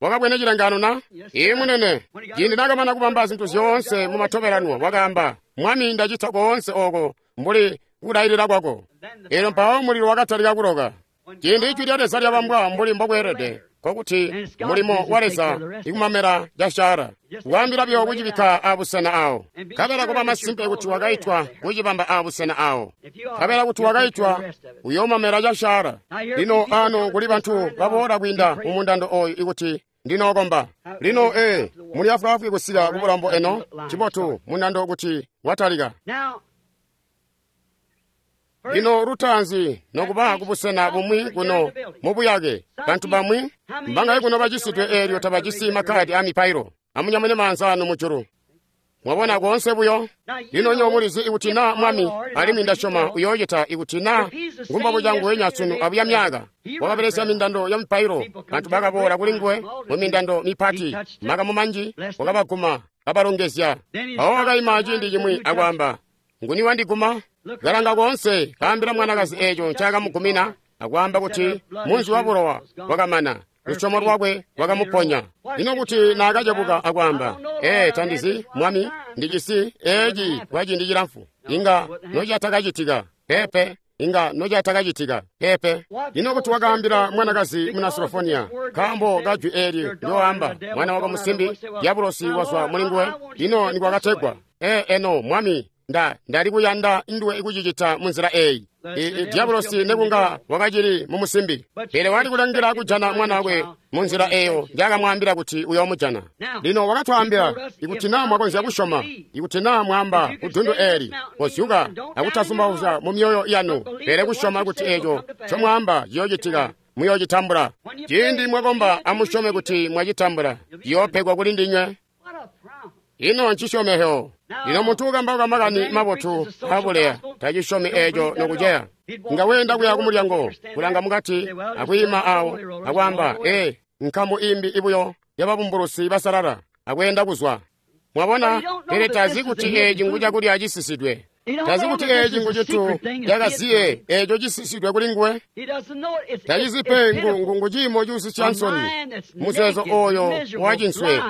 wakabwene cilengaano na? Ee munene, ciindi nakamana kubamba zintu zyoonse mu matobelanwa, wakaamba, Mwami ndacita koonse oko mbuli kulailila kwako. Elyo mpawo mulilo wakatalika kuloka. Ciindi ijwi lya Leza lyabambwa mbuli mbokweelede, nkokuti mulimo wa Leza ikumamela casyara, kuambila buyo kucibikka abusena awo. Nkabela kuba masimpe kuti wakaitwa kucibamba abusena awo. Nkabela kuti wakaitwa uyoomamela casyara. Lino ano kuli bantu baboola kwiinda mu mundando oyu ikuti ndinookomba. Lino ee, muli afwaafwi kusika ku bulambo eno, cibotu mundando kuti watalika. Lino lutaanzi nokuba kubusena bumwi kuno mubuyake, bantu bamwi mbangaye kuno bacisidwe eelyo tabajisi makkadi a mipailo. Amunyamune maanza anu mujulu. Mwabona koonse buyo. Lino nyo mulizi ikuti na Mwami, alimwi ndasyoma uyoocita ikuti na ngumbabu cangu wenya sunu abuya myaka. Wakabelesya mindando ya mipailo, bantu bakaboola kuli nguwe mu mindando mipati, makamu manji wakabaguma kabalongezya. Mpawo wakaima ciindi cimwi akwaamba, nguni wandiguma? Kalanga koonse, kaambila mwanakazi eeco ncakamugumina, akwaamba kuti munzi wa bulowa wakamana, lusyomo lwakwe lwakamuponya. Lino kuti naakacebuka akwaamba, ee tandizi Mwami, ndijisi eeci kwa ciindi cilamfu, inga nocatakacitika pepe, inga nocatakacitika pepe. Lino kuti wakaambila mwanakazi muna Sirofonia, nkaambo kajwi eeli ndyoamba, mwana wako musimbi diabulosi wazwa mulinguwe. Lino nikwakategwa, ee eno Mwami, nda ndali kuyanda nduwe ikucicita munzila eeyi. Diabulosi nekunga wakacili mu musimbi, pele wali kulangila kujana mwana wakwe munzila eeyo njakamwaambila kuti uyoomujana. Lino wakatwaambila ikuti naa mwakonzya kusyoma, ikuti naa mwaamba kudundu eeli, kozyuka akutazumbauzya mu myoyo yanu, pele kusyoma kuti eeco ncomwaamba ciyoocitika, muyoocitambula. Ciindi mwakomba amusyome kuti mwacitambula, ciyoopegwa kuli ndinywe. Ino ncisyomehyo. Lino muntu ukambauka makani mabotu abuleya tacisyomi eeco nokuceya. Nga weenda kuya kumulyango, kulanga mukati, akwiima awo, akwaamba, ee, nkamu imbi ibuyo yababumbulusi basalala, akweenda kuzwa. Mwabona, pele tazi kuti eeci ngu cakulya cisisidwe. Tazi kuti eeci ngu cintu cakaziye eeco cisisidwe kuli nguwe. Tacizi pe ngu ngu ciimo cuusisya nsoni, muzeezo oyo wacinswe,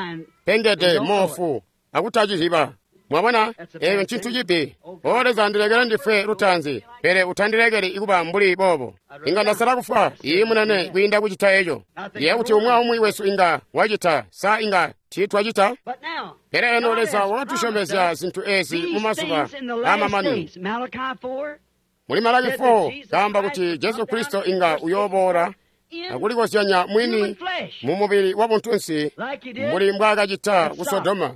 pengede moofu, akutaciziba. Mwabona, eeyo ncintu cibi. O Leza, ndilekele ndifwe lutaanzi, pele utandilekeli ikuba mbuli boobo. Inga ndasala kufwa, iyi munene, kwiinda kucita eco. Ndiye kuti umwi aumwi wesu inga wacita, sa inga tiitwacita? Pele eno Leza wakatusyomezya zintu ezi mu mazuba aamamanino. Muli Malaki four, kaamba kuti Jesu Kristo inga uyooboola akulikozyanya mwini mu mubili wa buntunsi mbuli mbwaakacita ku Sodoma.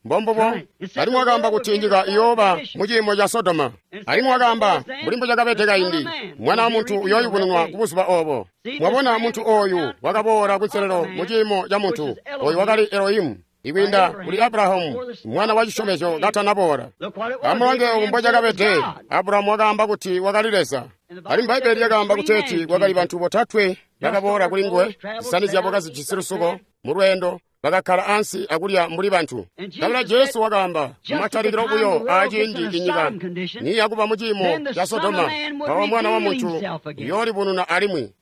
Mbombubo, alimwi wakaamba kuti nyika iyooba mu ciimo ca Sodoma. Alimwi wakaamba mbuli mbucakabede kaindi, Mwana wa muntu uyooyubununwa ku buzuba oobo. Mwabona muntu ooyu wakaboola kunselelo mu ciimo ca muntu, oyu wakali Elohimu, ikwiinda kuli Abrahamu, mwana wa cisyomezyo katanaboola. Amulange obu mbocakabede, Abrahamu wakaamba kuti wakali Leza. Alimwi Bbaibbele lyakaamba kuteeti kwakali bantu botatwe bakaboola kuli nguwe, zisani zyabo kazijisi lusuko mu lweendo, bakakkala ansi akulya mbuli bantu. Nkabela Jesu wakaamba mumatalikilo buyo aaciindi inyika niyakuba mu ciimo ca Sodoma, mpawo Mwana wa Muntu uyoolibununa alimwi.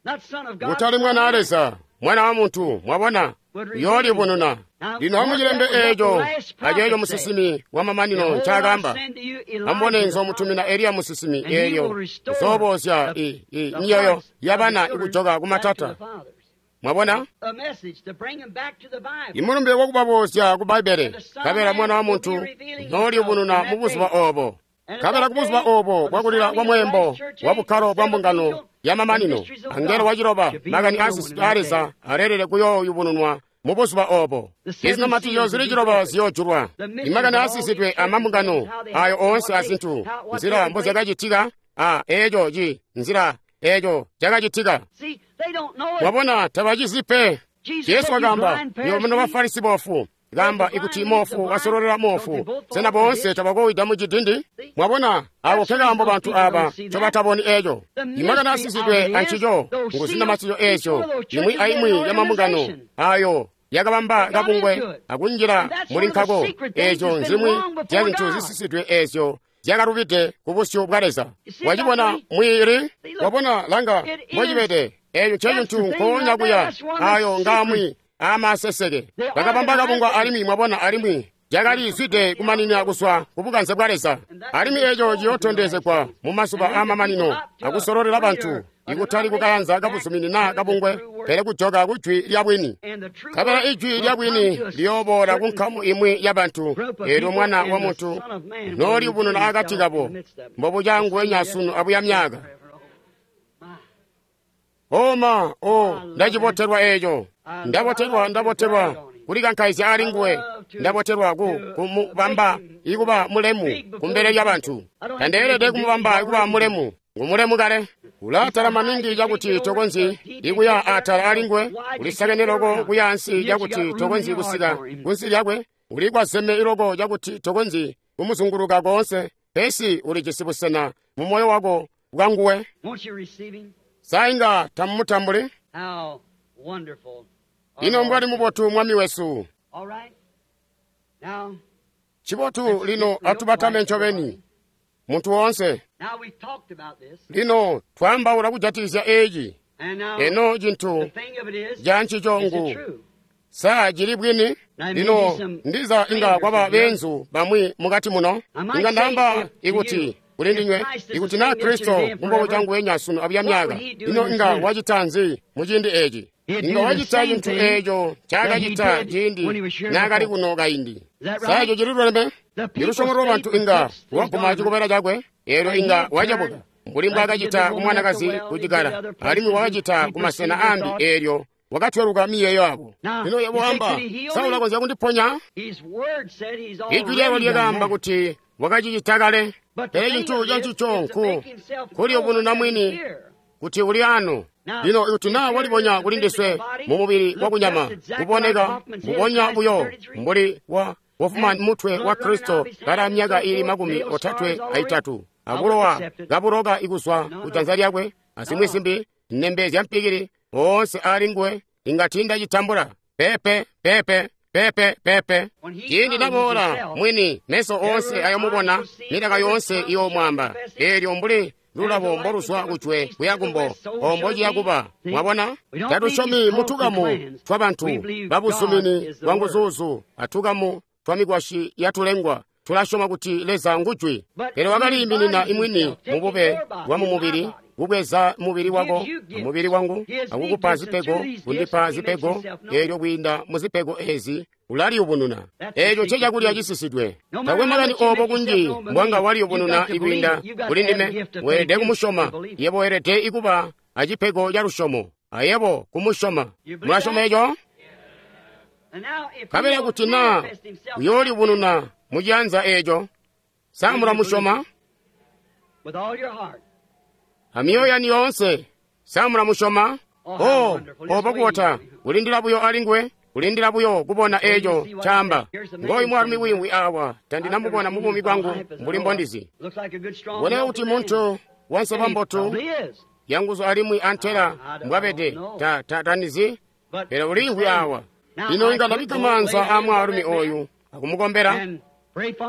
Kutali Mwana wa Leza, Mwana wa Muntu, mwabona, uyoolibununa. Lino amucilembe eeco aceeco musinsimi wamamanino ncaakaamba. Amubone nzoomutumina Eliya musinsimi eelyo uzoobozya myoyo yabana ikujoka kumatata. Mwabona? Imulumbe wakubaboozya ku Bbaibbele, nkabela Mwana wa Muntu noolibununa mu buzuba oobo. Nkabela ku buzuba oobo bwakulila kwa mweembo wa bukkalo bwa mbungano ya mamanino, angelo waciloba, makani aasisidwe aa Leza aleelele kuyooyubununwa mu buzuba oobo. Izinamatizyo zili ciloba ziyoojulwa. Imakani aasisidwe amambungano ayo oonse azintu, nzila mbozyakacitika, a eeco ci nzila eeco cakacitika. Mwabona, tabacizi pe. Jesu wakaamba, nywebo muno Bafarisi boofu, Kaamba ikuti moofu wasololela moofu, sena boonse tabakowida mu cidindi? Mwabona, ako nkekaambo bantu aba ncobataboni eco. Imakani asisidwe ancico ngu zinamatizyo ezyo, imwi aimwi ya mambungano ayo yakabamba kabungwe akunjila muli nkako. Ezyo nzimwi zya zintu zisisidwe ezyo zyakalubide ku busyu bwa Leza. Wacibona mwiili? Wabona, langa mbocibede. Eco ncecintu nkoonya kuya. Ayo ngamwi amaseseke. Bakabamba kabungwe alimwi, mwabona, alimwi cakalizwide kumaninina kuzwa ku bukanze bwa Leza. Alimwi eco ciyootondezegwa mu mazuba aamamanino akusololela bantu, ikutali kukayanza kabuzumini naa kabungwe, pele kujoka ku jwi lya bwini. Nkabela ijwi lya bwini liyooboola ku nkamu imwi ya bantu, eelyo Mwana wa Muntu nooliyubununa akati kabo, mbobuca nguwenya sunu abuya myaaka. Oma, o, ndacibotelwa eco. Ndabotelwa, ndabotelwa kulikankaizya ali nguwe. Ndabotelwa ku kumubamba ikuba mulemu kumbele lya bantu. Tandeelede kumubamba ikuba mulemu. Ngumulemu kale. Ulatala maningi cakuti tokonzyi ikuya atala ali nguwe. Ulisakene loko kuya ansi cakuti tokonzyi kusika kunsi lyakwe. Ulikwazeme iloko cakuti tokonzyi kumuzunguluka koonse. Pesi ulijisi busena mu moyo wako bwa nguwe. Sa inga tamumutambuli? Ino mbwali mubotu Mwami wesu. Cibotu lino atubatame ncobeni, muntu woonse. Lino twaambaula kujatikizya eci. Eno cintu ca ncico ngu, sa cili bwini? Lino ndiza inga kwaba beenzu bamwi mukati muno. Inga ndaamba ikuti kuli ndinywe, ikuti naa Kristo mbobuca nguwenya sunu abuya myaaka, ino inga wacita nzi mu ciindi eci? Inga wacita cintu eco ncaakacita ciindi naakali kuno kaindi. Sa eco cili luleme? Ilusyomo lwa bantu inga lwaguma cikobela cakwe, eelyo inga wacabuka, mbuli mbwaakacita ku mwanakazi ku cikala, alimwi wakacita ku masena ambi, eelyo wakatweluka miyeeyo yabo. Lino yebo wamba, sa ulakonzya kundiponya? Ijwi lyakwe lyakaamba kuti wakacicita kale. Pele cintu cancico nku kuliyubununa mwini kuti uli ano. Lino ikuti naa walibonya kuli ndiswe mu mubili wakunyama, kuboneka mbubonya buyo mbuli wa wafuma mutwe wa Kristo kala myaka ili makumi otatwe aitatu, abulowa kabuloka ikuzwa ku janza lyakwe, azimwi zimbi nembe zya mpikili oonse ali nguwe, inga tiindacitambula. Pepe, pepe, pepe, pepe. Ciindi naboola mwini, meso oonse ayomubona, milaka yoonse iyoomwaamba. Eelyo mbuli lulabo mboluzwa kujwe kuya kumbo, ombo ciya kuba. Mwabona, tatusyomi mutukamu twa bantu babuzumini bwa nguzuuzu atukamu twa mikwasyi yatulengwa. Tulasyoma kuti Leza ngujwi, pele wakaliiminina imwini mubube bwa mumubili, kubweza mubili wako mubili wangu akukupa zipego, kundipa zipego, eelyo kwiinda mu zipego ezi ulaliyubununa. Eeco ncecakulya cisisidwe. Takwe makani oobo kunji mbwanga waliyubununa ikwiinda kuli ndime, weelede kumusyoma. Yebo weelede ikuba acipego ca lusyomo, ayebo kumusyoma. Mulasyoma eco? Nkabela kuti naa uyooliyubununa mu cianza eeco, sa mulamusyoma? Amyoyo yanu yoonse, sa mulamusyoma? Oh, obo kubota, kulindila buyo ali nguwe, kulindila buyo kubona eco caamba. Ngooyu mwaalumi wiimwi awa, tandinamubona mu buumi bwangu mbuli mbondizi. Boneka kuti muntu wanseba mbotu, yanguzu alimwi antela mbwabede, ta, ta, tanizi, pele uliimvwi awa. Lino inga ndabikka maanza aa mwaalumi oyu akumukombela,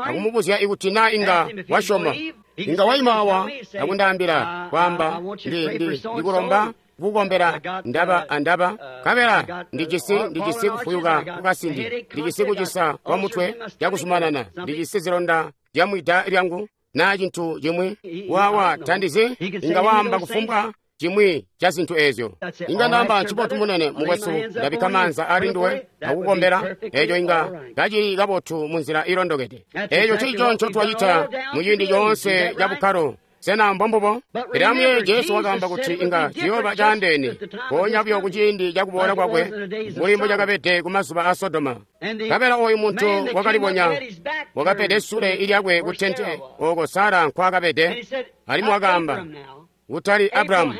akumubuzya ikuti naa inga wasyoma. Inga waima awa akundaambila, kwaamba, ndi, ndi, ndikulomba kukukombela ndaba andaba, nkabela ndijisi, ndijisi kufuyuka kukasindi, ndijisi kucisa kwa mutwe cakuzumanana, ndijisi zilonda zya mwida lyangu naa cintu cimwi. Wawa tandizi, inga waamba kufumbwa cimwi ca zintu ezyo. Inga ndaamba, ncibotu munene mukwesu, ndabikka maanza ali nduwe akukukombela, eco inga kacili kabotu munzila ilondokede. Eco ncico ncotwacita mu ciindi coonse ca bukkalo. Sena mbombubo? Pele amuyeeye, Jesu wakaamba kuti inga ciyooba caandeene, mpoonya buyo ku ciindi ca kuboola kwakwe, mbuli mbocakabede ku mazuba a Sodoma. Nkabela oyu muntu wakalibonya, wakapede sule lyakwe ku tente ooko Sara nkwaakabede, alimwi wakaamba, kutali Abrahamu,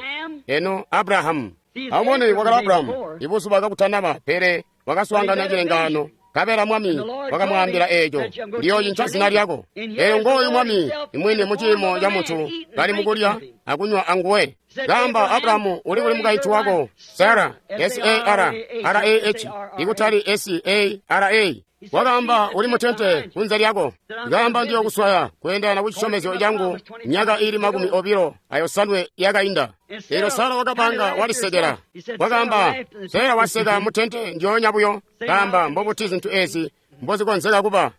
eno Abrahamu. Amubone, wakali Abrahamu ibuzuba kakutanaba, pele wakaswaangana cilengaano, Nkabela Mwami wakamwaambila eeco, ndiyoocinca zina lyako. Eyo ngooyu Mwami imwini mu ciimo ca muntu kali mukulya akunywa anguwe. Kaamba, Abrahamu, uli kuli mukaintu wako Sara, S A R R A H, ikutali S A R A. Wakaamba, uli mutente kunze lyako. Kaamba, ndiyokuswaya kweendana ku cisyomezyo cangu myaka ili makumi obilo ayosanwe yakainda. Eelyo Sara wakapanga walisekela. Wakaamba, Sara waseka mutente ndyoonya buyo. Kaamba, mbobuti zintu ezi mbozikonzeka kuba?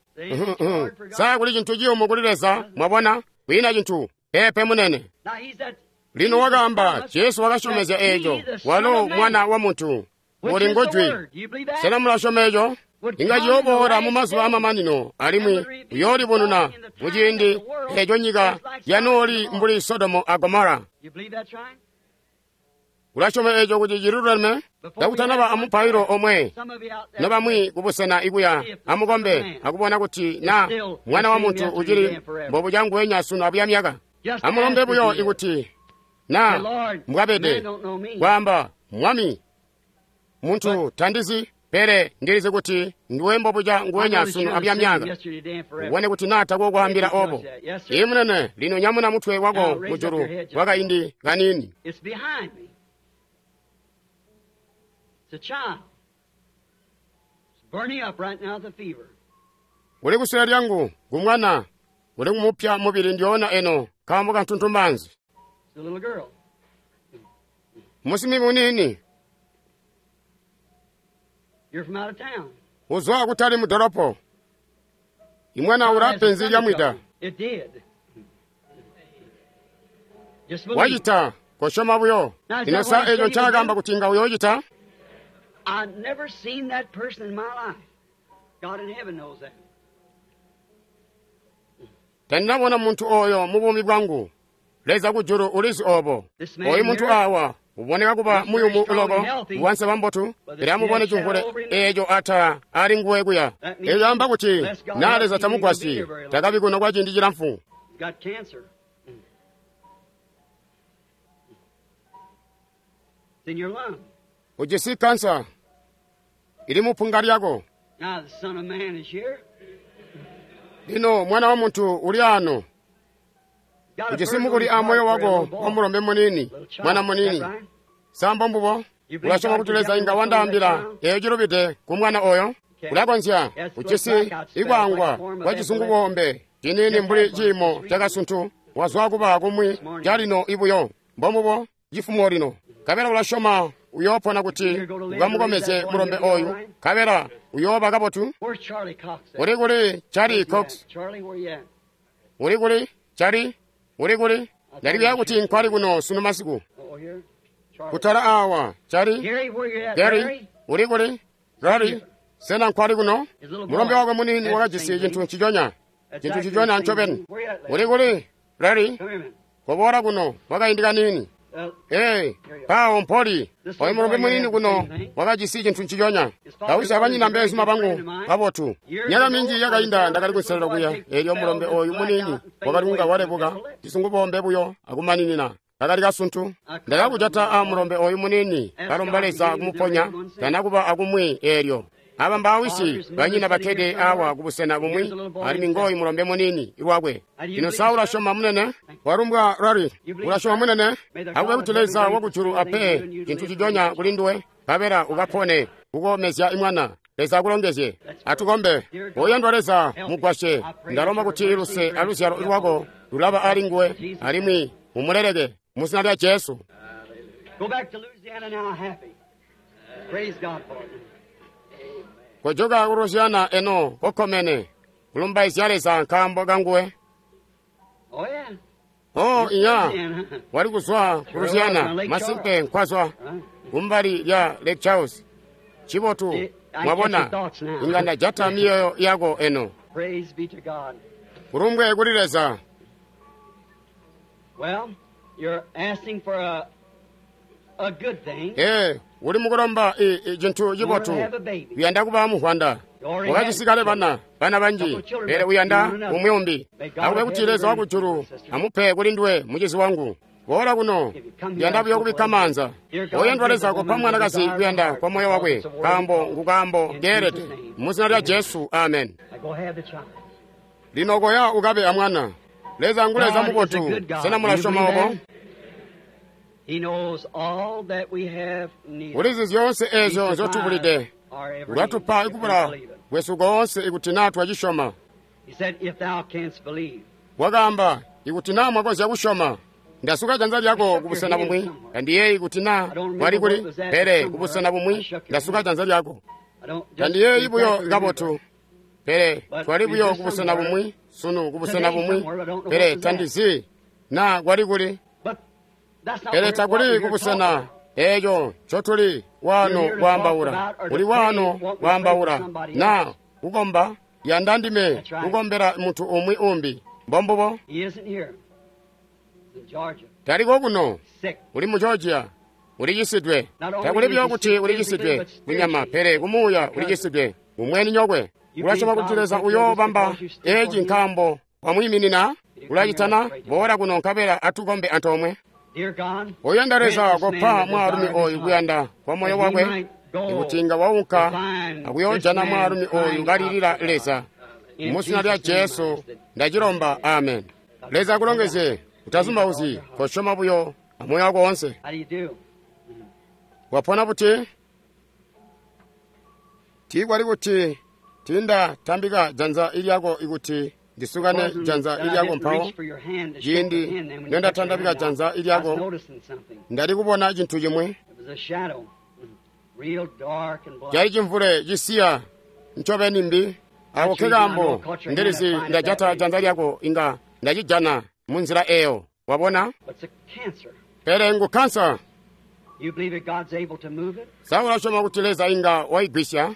Sa kuli cintu ciyumu kuli Leza, mwabona? Kwiina cintu. Peepe munene. Lino wakaamba, Jesu wakasyomezya eeco, walo mwana wa muntu. Uli ngujwi. Sena mulasyoma eeco? Inga ciyooboola mu mazuba amamanino, alimwi uyoolibonuna muciindi eeco nyika yanooli mbuli Sodomu a Gomora. Ulasyoma eeco kuti ciluleme? Kakutanaba amupailo omwe nobamwi kubusena ikuya amukombe akubona kuti na mwana wa muntu ucili mbobuca sunu abuya myaka. Amulombe buyo ikuti na mbwabede kwaamba, Mwami, muntu tandizi, pele ndilizi kuti ndiwe mbobuca nguwenya sunu abuya myaka. Ubone kuti na tako kwaambila obo. Ii munene, lino nyamuna mutwe wako mujulu kwakaindi kanini. Uli kusule lyangu ngumwana, uli kumupya mubili ndyoona eno nkaambo kantuntumbanzi. Musimi munini. Uzwa kutali mudolopo. Imwana ula penzi lya mwida. Wacita kosyoma buyo. Ino sa eco ncaakamba kuti inga uyoocita? Tandinabona muntu oyo mu buumi bwangu. Leza kujulu ulizi obo. Oyu muntu awa uboneka kuba muyumu loko wanseba mbotu, pele amubone cimvule eeco ata ali nguwe kuya. Eeco amba kuti na Leza tamugwasyi, takabi kuno kwa ciindi cilamfu. Ujisi kansa ili mupunga lyako. Lino mwana wa muntu uli ano. Ujisi mukuli a moyo wako wa mulombe munini, mwana munini. Sambo mbubo, ulasyoma kuti Leza inga wandaambila eeyo cilubide ku mwana oyo? Ulakonzya. Ujisi ikwangwa kwa cizungubombe cinini mbuli ciimo cakasuntu, wazwa kuba kumwi calino ibuyo. Mbombubo, cifumo lino. Kabela ulasyoma uyoopona kuti ukamukomezye mulombe oyu, kabela uyooba kabotu. Uli kuli Charlie Cox? Uli kuli Charlie? Uli kuli? Ndalikuya kuti nkwali kuno sunu masiku. Kutala awa, Charlie? Gary? Uli kuli? Gary? Sena nkwali kuno? Mulombe wakwe munini wakajisi cintu nciconya. Cintu nciconya ncobeni. Uli kuli? Larry? Koboola kuno kwakaindi kanini. Ee, pawo mpoli. Oyu mulombe munini kuno wakajisi cintu nciconya. Kawisi abanyina mbeezuma bangu kabotu. Myaka minji yakainda ndakali kunselelo kuya. Eelyo mulombe oyu munini wakali kunga walebuka cisungubombe buyo akumaninina. Kakali kasuntu. Ndakakujata a mulombe oyu munini kalomba Leza kumuponya tanakuba akumwi eelyo. Aba mbaawisi banyina bakkede awa kubusena bumwi, alimwi ngooyu mulombe munini iwakwe. Lino sa ulasyoma munene? Walumbwa Larry, ulasyoma munene? Akube kuti Leza wakujulu ape cintu cijonya kuli nduwe, nkabela ukapone kukomezya imwana. Leza akulongezye. Atukombe. Oyandwa Leza, mugwasye. Ndalomba kuti luse aluzyalo lwako lulaba ali nguwe, alimwi mumuleleke mu zina lya Jesu. Kojoka ku Louisiana eno kokkomene kulumbaizya Leza nkaambo kanguwe. Oh iya, wali kuzwa ku Louisiana, masimpe nkwazwa kumbali lya Lake Charles. Cibotu, mwabona, inga ndajata myoyo yako eno. Kulumbwe kuli Leza. Eh, uli mukulomba cintu cibotu. Uyanda kuba muhwanda. Wakacisikale bana, bana banji, pele uyanda umwi umbi. Akube kuti Leza wakujulu amupe kuli nduwe mucizi wangu. Boola kuno. Ndiyanda buyo kubikka maanza. Oyandwa Leza, kopa mwanakazi kuyanda kwa moyo wakwe, nkaambo ngukaambo keelede. Mu zina lya Jesu, amen. Lino koya ukabe amwana. Leza ngu Leza mubotu. Sena mulasyoma obo? Ulizi zyoonse eezyo nzyotubulide. Ulatupa ikubula kwesu koonse ikuti naa twacisyoma. Wakaamba, ikuti naa mwakonzya kusyoma. Ndasuka janza lyako kubusena bumwi. Tandiyeeyi kuti naa wali kuli, pele kubusena bumwi ndasuka janza lyako. Tandiyeeyi buyo kabotu, pele twali buyo kubusena bumwi sunu kubusena bumwi, pele tandizi naa kwali kuli. Pele takuli kubusena eeco ncotuli waano kwaambaula. Uli waano kwaambaula naa kukomba, yanda ndime kukombela muntu umwi umbi. Mbombubo. Taliko kuno. Uli mu Georgia. Ulicisidwe. Takuli buyo kuti ulicisidwe kunyama, pele kumuuya ulicisidwe. Umweni nyokwe. Ulasyoma kuti Leza uyoobamba eeci nkaambo wamwiiminina? Ulacitana? Boola kuno nkabela atukombe antoomwe. Oyanda Leza, kopa mwaalumi oyu kuyanda kwa moyo wakwe, ikuti inga waunka akuyoojana mwaalumi oyu kalilila Leza. Mu zina lya Jesu ndacilomba, amen. Leza akulongezye. Utazumbauzyi, kosyoma buyo amoyo wako woonse. Wapona buti? Tiikwali kuti tindatambika janza ilyako ikuti ndisukane janza ilyako mpawo ciindi nondatandabika janza ilyako ndali kubona cintu cimwi. Cali cimvule cisiya ncobeni mbi. Ako kekaambo ndilizi ndajata janza lyako inga ndacijana munzila eyo. Wabona? Pele ngu kansa. Sa ulasyoma kuti Leza inga waigwisya?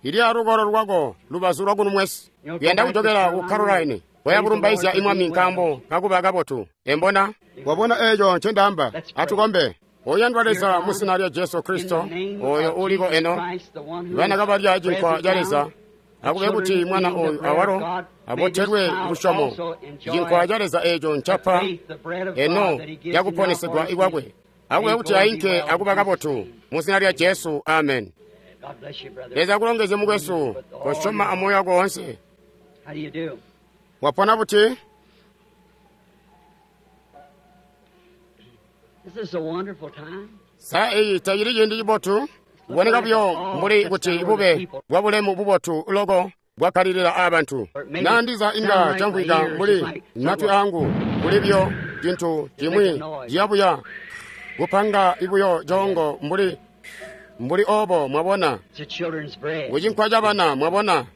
Ili alukolo lwako lubazu lwakunumwesi. Kuyanda kujokela ku Caroline. Waya kulumbaizya imwami nkaambo kakuba kabotu. Embona? Wabona eeco ncendaamba? Atukombe. Oyandwa Leza, mu zina lya Jesu Kristo, oyo uliko eno, bana kabalya cinkwa ca Leza, akube kuti mwana oyu awalo abotelwe lusyomo. Cinkwa ca Leza eeco ncapa eno cakuponesegwa ikwakwe. Akube kuti ainke akuba kabotu. Mu zina lya Jesu, amen. Leza akulongezye mukwesu, kosyoma amoyo wako woonse. Wapona buti? Sa eyi tacili ciindi cibotu? Kuboneka buyo mbuli kuti bube bwa bulemu bubotu loko bwakkalilila aabantu. Naa ndiza inga camvwika mbuli matwi aangu kuli buyo cintu cimwi ciyabuya kupanga ibuyo coongo mbuli mbuli obo, mwabona. Kucinkwa ca bana, mwabona.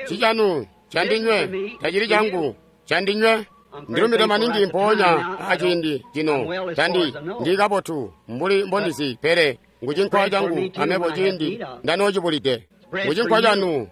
Cicanu candinywe, tacili cangu, candinywe. Ndilumide maningi mpoonya aciindi cino. Tandi ndi kabotu mbuli mbondizi, pele ngucinkwa cangu amebo ciindi ndanoocibulide. Ngucinkwa canu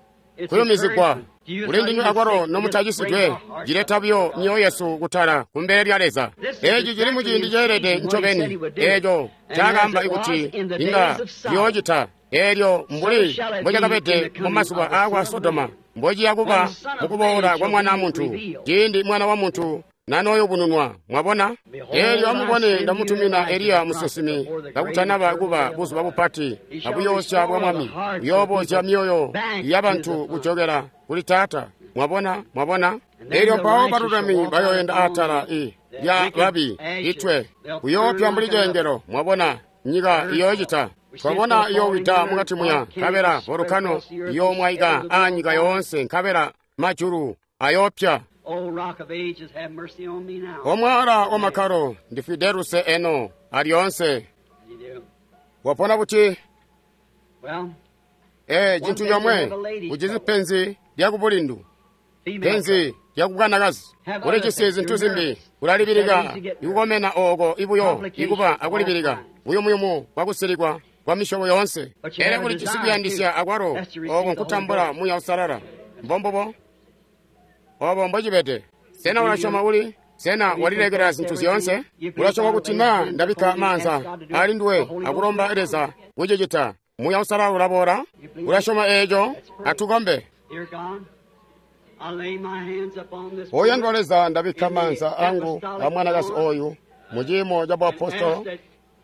kuyumizigwa kuli ndinywe akwalo nomutacisidwe, cileta buyo myoyo yesu kutala kumbele lya Leza. Eeci cili muciindi ceelede ncobeni eeco cakaamba kuti inga ciyoocita. Eelyo mbuli mbocakabede mumazuba aakwa Sodoma, mbociya kuba mukuboola kwa Mwana Muntu, ciindi Mwana wa Muntu nanooyubununwa. Mwabona? Eelyo amubone, ndamutumina Eliya musinsimi kakutanaba kuba buzuba bupati abuyoosya bwa Mwami, buyoobozya myoyo yabantu kujokela kuli Taata. Mwabona? Mwabona? Eelyo mpawo balulami bayoenda atala i lya babi itwe, kuyoopya mbuli cengelo. Mwabona? Nyika iyoocita. Twabona iyowida mukati muya, nkabela volukano iyoomwaika aanyika yoonse, nkabela majulu ayoopya. Omwala wamakkalo ndifwide luse eno alyoonse. Wapona buti? Ee, cintu comwe, ujisi penzi lyakubulindu, penzi lyakukanakazi. Ulijisi zintu zimbi, ulalibilika ikukomena ooko ibuyo ikuba akulibilika buyumuyumu bwakusilikwa kwa misyobo yoonse. Pele ulijisi kuyandisya akwalo, ooko nkutambula Muuya Uusalala. Mbombubo obo mbocibede. Sena ulasyoma uli? Sena walilekela zintu zyoonse? Ulasyoma kuti naa ndabikka maanza ali nduwe akulomba Leza kucicita, Muuya Uusalala ulaboola? Ulasyoma eeco? Atukombe. Oyandwa Leza, ndabikka maanza angu a mwanakazi oyu mu ciimo ca buapostolo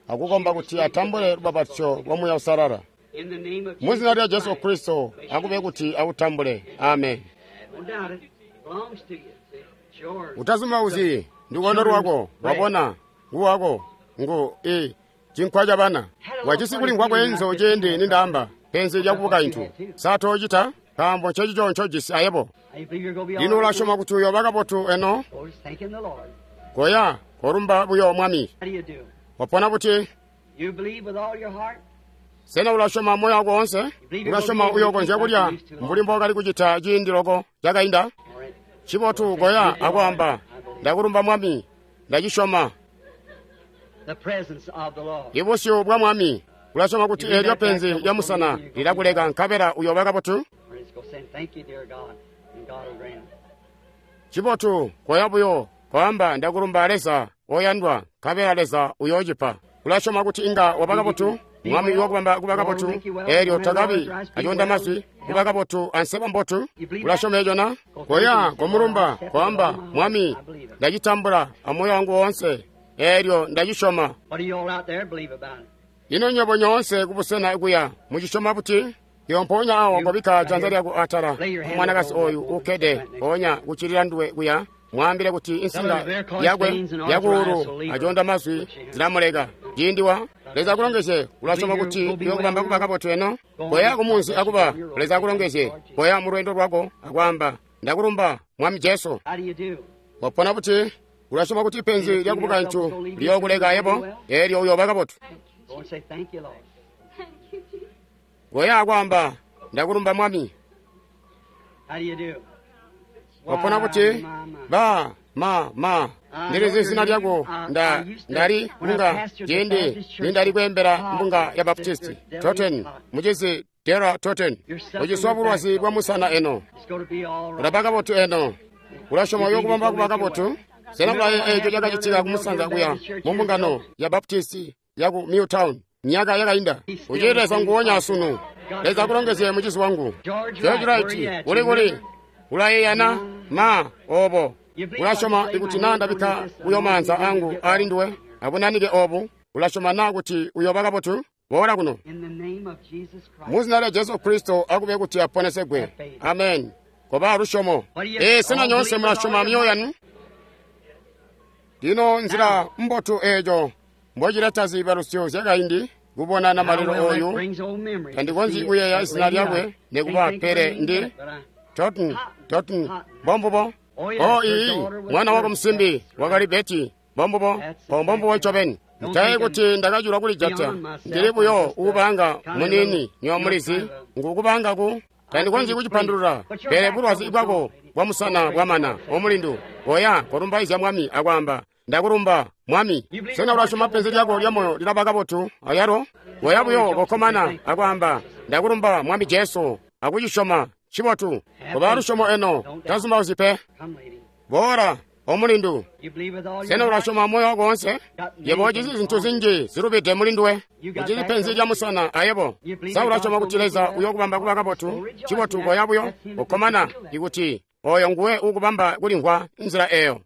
akukomba kuti atambule lubapatizyo lwa Muuya Uusalala. Mu zina lya Jesu Kristo, akube kuti awutambule. Amen. Utazumbauzyi, ndikondo lwako, wabona, nguwako, ngu i cinkwa ca bana. Wajisi kulimvwa kweenzo ciindi nindaamba penzi lya kubukaintu. Sa toocita? Nkaambo ncecico ncojisi ayebo. Lino ulasyoma kuti uyooba kabotu eno? Koya, kolumba buyo Mwami. Wapona buti? Sena ulasyoma moyo wako woonse? Ulasyoma uyookonzya kulya mbuli mbookali kucita ciindi loko cakainda? Cibotu, koya akwaamba, ndakulumba Mwami, ndacisyoma. Ibusyu bwa Mwami. Ulasyoma kuti eelyo penzi lya musana lilakuleka nkabela uyooba kabotu? Cibotu, koya buyo, koamba ndakulumba Leza oyandwa, nkabela Leza uyoocipa. Ulasyoma kuti inga waba kabotu? Mwami uyookubamba kuba kabotu, eelyo takabi aconda mazwi, kuba kabotu anseba mbotu. Ulasyoma eco na? Koya, komulumba, koamba, Mwami, ndacitambula amoyo wangu woonse, eelyo ndacisyoma. Ino nywebo nyoonse kubusena kuya mucisyoma buti? Iyo mpoonya awo kobikka janza lyako atala mwanakazi oyu ukkede mpoonya kuccilila nduwe kuya, mwaambile kuti insinga yakwe yakuulu aconda mazwi zilamuleka. Ciindi wa Leza akulongezye, ulasyoma kuti uyokubamba kuba kabotu eno? Koya kumunzi akuba, Leza akulongezye. Koya mu lweendo lwako akwaamba, ndakulumba Mwami Jesu. Wapona buti? Ulasyoma kuti penzi lya kubukaintu liyookuleka ayebo, eelyo uyooba kabotu. Koya akwaamba, ndakulumba Mwami. Wapona buti? Ba ma ma ndilizi zina lyako nda ndali mbunga ciindi nindali kweembela mbunga ya Baptisti Totten, mucizi Dera Totten. Uciswa bulwazi bwa musana eno, ulaba kabotu eno. Ulasyoma uyokubamba kuba kabotu? Sena ulaye eco cakacitika kumusanza kuya mu mbungano ya Baptisti yaku Milltown myaka yakainda? Ucili Leza nguwonya asunu. Leza akulongezye mucizi wangu George Wright. Uli kuli? Ulayeeyana ma obo? Ulasyoma ikuti naa ndabikka buyo maanza angu ali nduwe abunanike obu, ulasyoma naa kuti uyooba kabotu? Boola kuno. Mu zina lya Jesu Kristo akube kuti aponesegwe. Amen. Koba lusyomo. Ee, sena nyoonse mulasyoma myoyo yanu? Lino nzila mbotu eeco mbocileta ziibalusyo zyakaindi kubona namalelo oyu, tandikonzyi kuyeeya zina lyakwe nikuba, pele ndi Totten, Totten, mbombubo. Oh, iyi, mwana wako musimbi wakali Beti, mbombubo, mbombubo ncobeni. Ntaye kuti ndakachulwa kulijata, ndili buyo ukubanga munini nywa mulizi, ngukubanga ku tandikonzyi kucipandulula, pele bulwazi bwako bwa musana bwamana. Omulindu, koya kolumbaizya Mwami akwaamba, ndakulumba Mwami. Sena ulasyoma penzi lyako lya moyo lilaba kabotu ayalo? Koya buyo kokkomana akwaamba, ndakulumba Mwami Jesu, akucisyoma. Cibotu, koba lusyomo eno, tazumbauzyi pe. Boola, omulindu. Sena ulasyoma moyo wako woonse? Yebo ujisi zintu zinji zilubide mulinduwe. Ujisi penzi lya musana ayebo. Sa ulasyoma kuti Leza uyokubamba kuba kabotu? Cibotu, koya buyo ukkomana ikuti oyo nguwe ukubamba kulimvwa nzila eyo.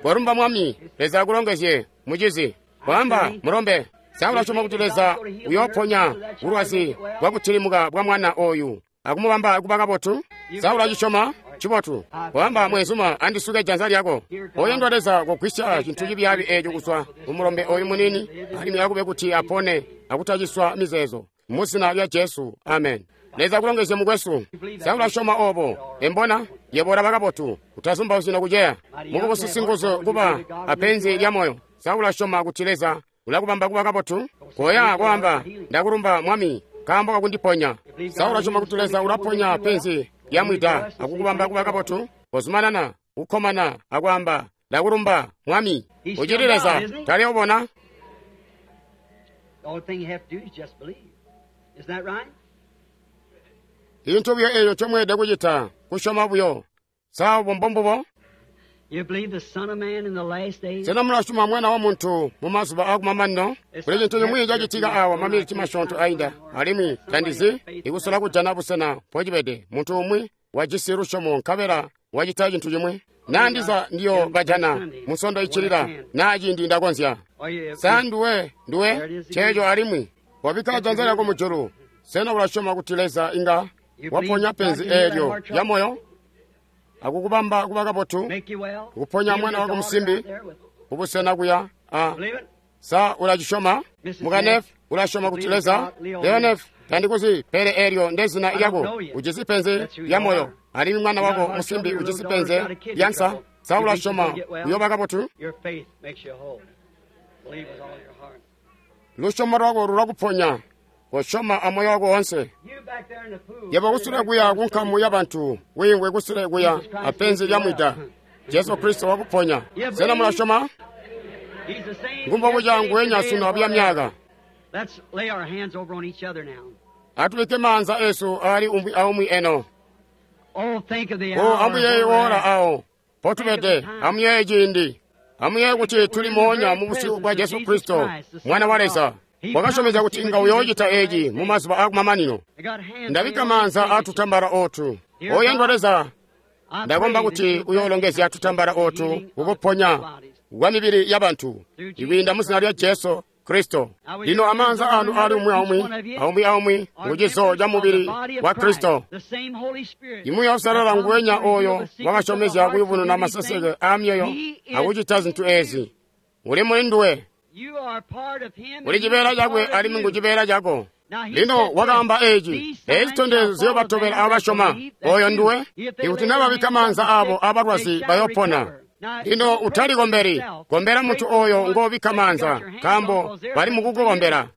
Kolumba Mwami. Leza akulongezye, mucizi. Kwaamba, mulombe. Sa ulasyoma kuti Leza uyooponya bulwazi bwakutilimuka bwa mwana oyu akumubamba kuba kabotu? Sa ulacisyoma? Cibotu. Kwaamba, mwezuma, andisuke janza lyako. Oyandwa Leza, kogwisya cintu cibyaabi eeco kuzwa kumulombe oyu munini, alimwi akube kuti apone akutaciswa mizeezo. Mu zina lya Jesu, amen. Leza akulongezye mukwesu. Sa ulasyoma obo? Embona, yebo ulaba kabotu. Utazumbauzyi nokuceya. Mukubusi singuzu kuba apenzi lya moyo. Sa ulasyoma kuti Leza ulakubamba kuba kabotu? Koya kwaamba, ndakulumba Mwami, nkaambo kakundiponya. Sa ulasyoma kuti Leza ulaponya penzi lya mwida akukubamba kuba kabotu? Kozumanana kukkomana akwaamba, ndakulumba Mwami. Ucili Leza, tali ubona? Intu buyo eeyo ncomweelede kucita, kusyoma buyo. Sa obo mbombubo? Sena mulasyoma Mwana wa Muntu mumazuba aakumamanino? Kuli cintu cimwi cacitika awa maminiti masyoonto ainda, alimwi tandizi ikusola kujana busena mpocibede. Muntu umwi wajisi lusyomo nkabela wacita cintu cimwi. Naa ndiza ndiyo bajana musondo iccilila, naa ciindi ndakonzya. Sa nduwe nduwe ceeco alimwi wabikka janza lyako mujulu. Sena ulasyoma kuti Leza inga waponya penzi eelyo lya moyo akukubamba kuba kabotu, kuponya mwana wako musimbi kubusena kuya? A sa ulacisyoma? Mukanef, ulasyoma kuti Leza? Leonef, tandikuzi, pele eelyo ndezina lyako. Ujisi penzi lya moyo, alimwi mwana wako musimbi ujisi penzi lya nsa. Sa ulasyoma uyoba kabotu? Lusyomo lwako lulakuponya. Kosyoma amoyo wako woonse. Yebo kusule kuya kunkamu ya bantu, wiingwe kusule kuya apenzi lya mwida. Jesu Kristo wakuponya. Sena mulasyoma? Ngumbobuca nguwenya sunu abuya myaka. Atulike maanza esu ali umwi aumwi eno. O amuyeeye woola awo potubede, amuyeeye ciindi, amuyeeye kuti tuli moonya mu busyu bwa Jesu Kristo, Mwana wa Leza. Wakasyomezya kuti inga uyoocita eeci mumazuba aakumamanino. Ndabikka maanza aatutambala ootu. Oyandwa Leza, ndakomba kuti uyoolongezya tutambala ootu kukuponya kwa mibili yabantu ikwiinda mu zina lya Jesu Kristo. Lino amaanza anu ali umwi aumwi, aumwi aumwi ngucizo ca mubili wa Kristo. Imuuya Uusalala nguwenya ooyo wakasyomezya kuyubununa maseseke aamyoyo akucita zintu eezi. Uli muli nduwe. Uli cibeela cakwe alimwi ngu cibeela cako. Lino wakaamba eeci, eezi zitondezyo ziyoobatobela aabo basyoma. Ooyo nduwe. Ikuti naa babikka maanza aabo abalwazi bayoopona. Lino utalikombeli, kombela muntu ooyo ngoobikka maanza, nkaambo bali mukukukombela.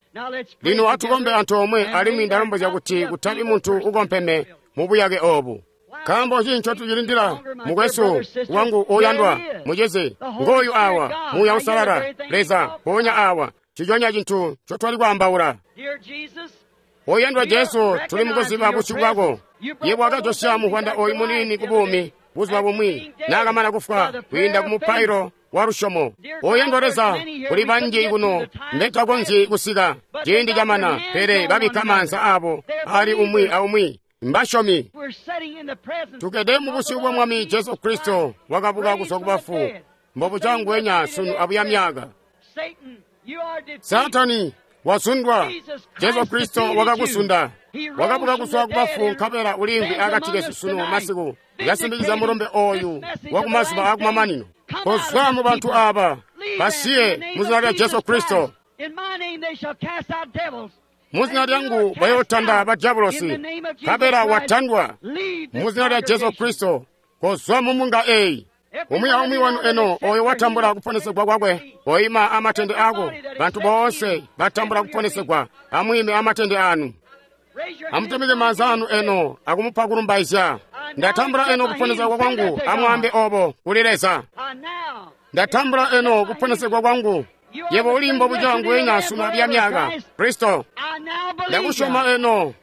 Lino atukombe antoomwe, alimwi ndalombozya kuti kutabi muntu ukompeme mubuyake oobu. Nkaambo nci ncotucilindila, mukwesu wangu oyandwa, mucizi? Ngooyu awa, Muuya Uusalala, Leza, mpoonya awa, nciconya cintu ncotwali kwaambaula. Oyandwa Jesu, tuli mukuziba busyu bwako. Yebo wakajosya muvwanda ooyu muniini kubuumi buzuba bumwi naakamana kufwa kwiinda ku mupailo wa lusyomo. Oyandwa Leza, kuli banji kuno mbetakonzyi kusika ciindi camana, pele babikka maanza aabo ali umwi aumwi. Mbasyomi. Tukede mu busyu bwa Mwami Jesu Kristo wakabuka kuzwa kubafu, mbobuca nguwenya sunu abuya myaka. Saatani wazundwa. Jesu Kristo wakakusunda. Wakabuka kuzwa kubafu nkabela uliimvwi akati kesu sunu masiku, yasindikiza mulumbe ooyu wakumazuba aakumamanino. Kozwa mu bantu aaba, basiye mu zina lya Jesu Kristo. Mu zina lyangu bayootanda badyabulosi, nkabela watandwa. Mu zina lya Jesu Kristo, kozwa mu mbunga eeyi. Umwi aumwi wanu eno oyo watambula kuponesegwa kwakwe, oyima amatende ako. Bantu boonse batambula kuponesegwa, amwiime amatende anu. Amutumike maanza anu eno akumupa kulumbaizya. Ndatambula eno kuponesegwa kwangu, amwaambe obo kuli Leza. Ndatambula eno kuponesegwa kwangu. Yebo uli mbobuca nguwenya sunu abuya myaka. Kristo, ndakusyoma eno.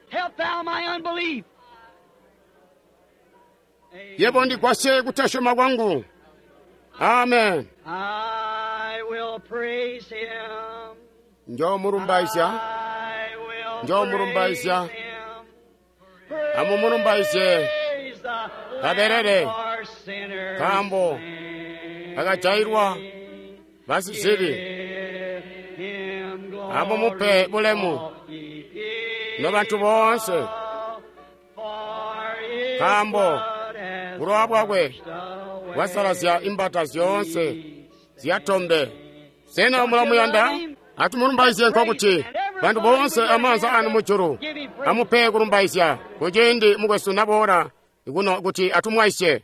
Yebo ndigwasye kutasyoma kwangu. Amen. Njoomulumbaizya, njoomulumbaizya, amumulumbaizye kabelele, nkaambo kakajailwa basizibi. Amumupe bulemu nobantu boonse, nkaambo bulowa bwakwe bwasalazya imbata zyoonse zyatombe. Sena mulamuyanda? Atumulumbaizye nkokuti bantu boonse amaanza anu mujulu amupe kulumbaizya kuciindi mukwesu naboola kuno kuti atumwaisye.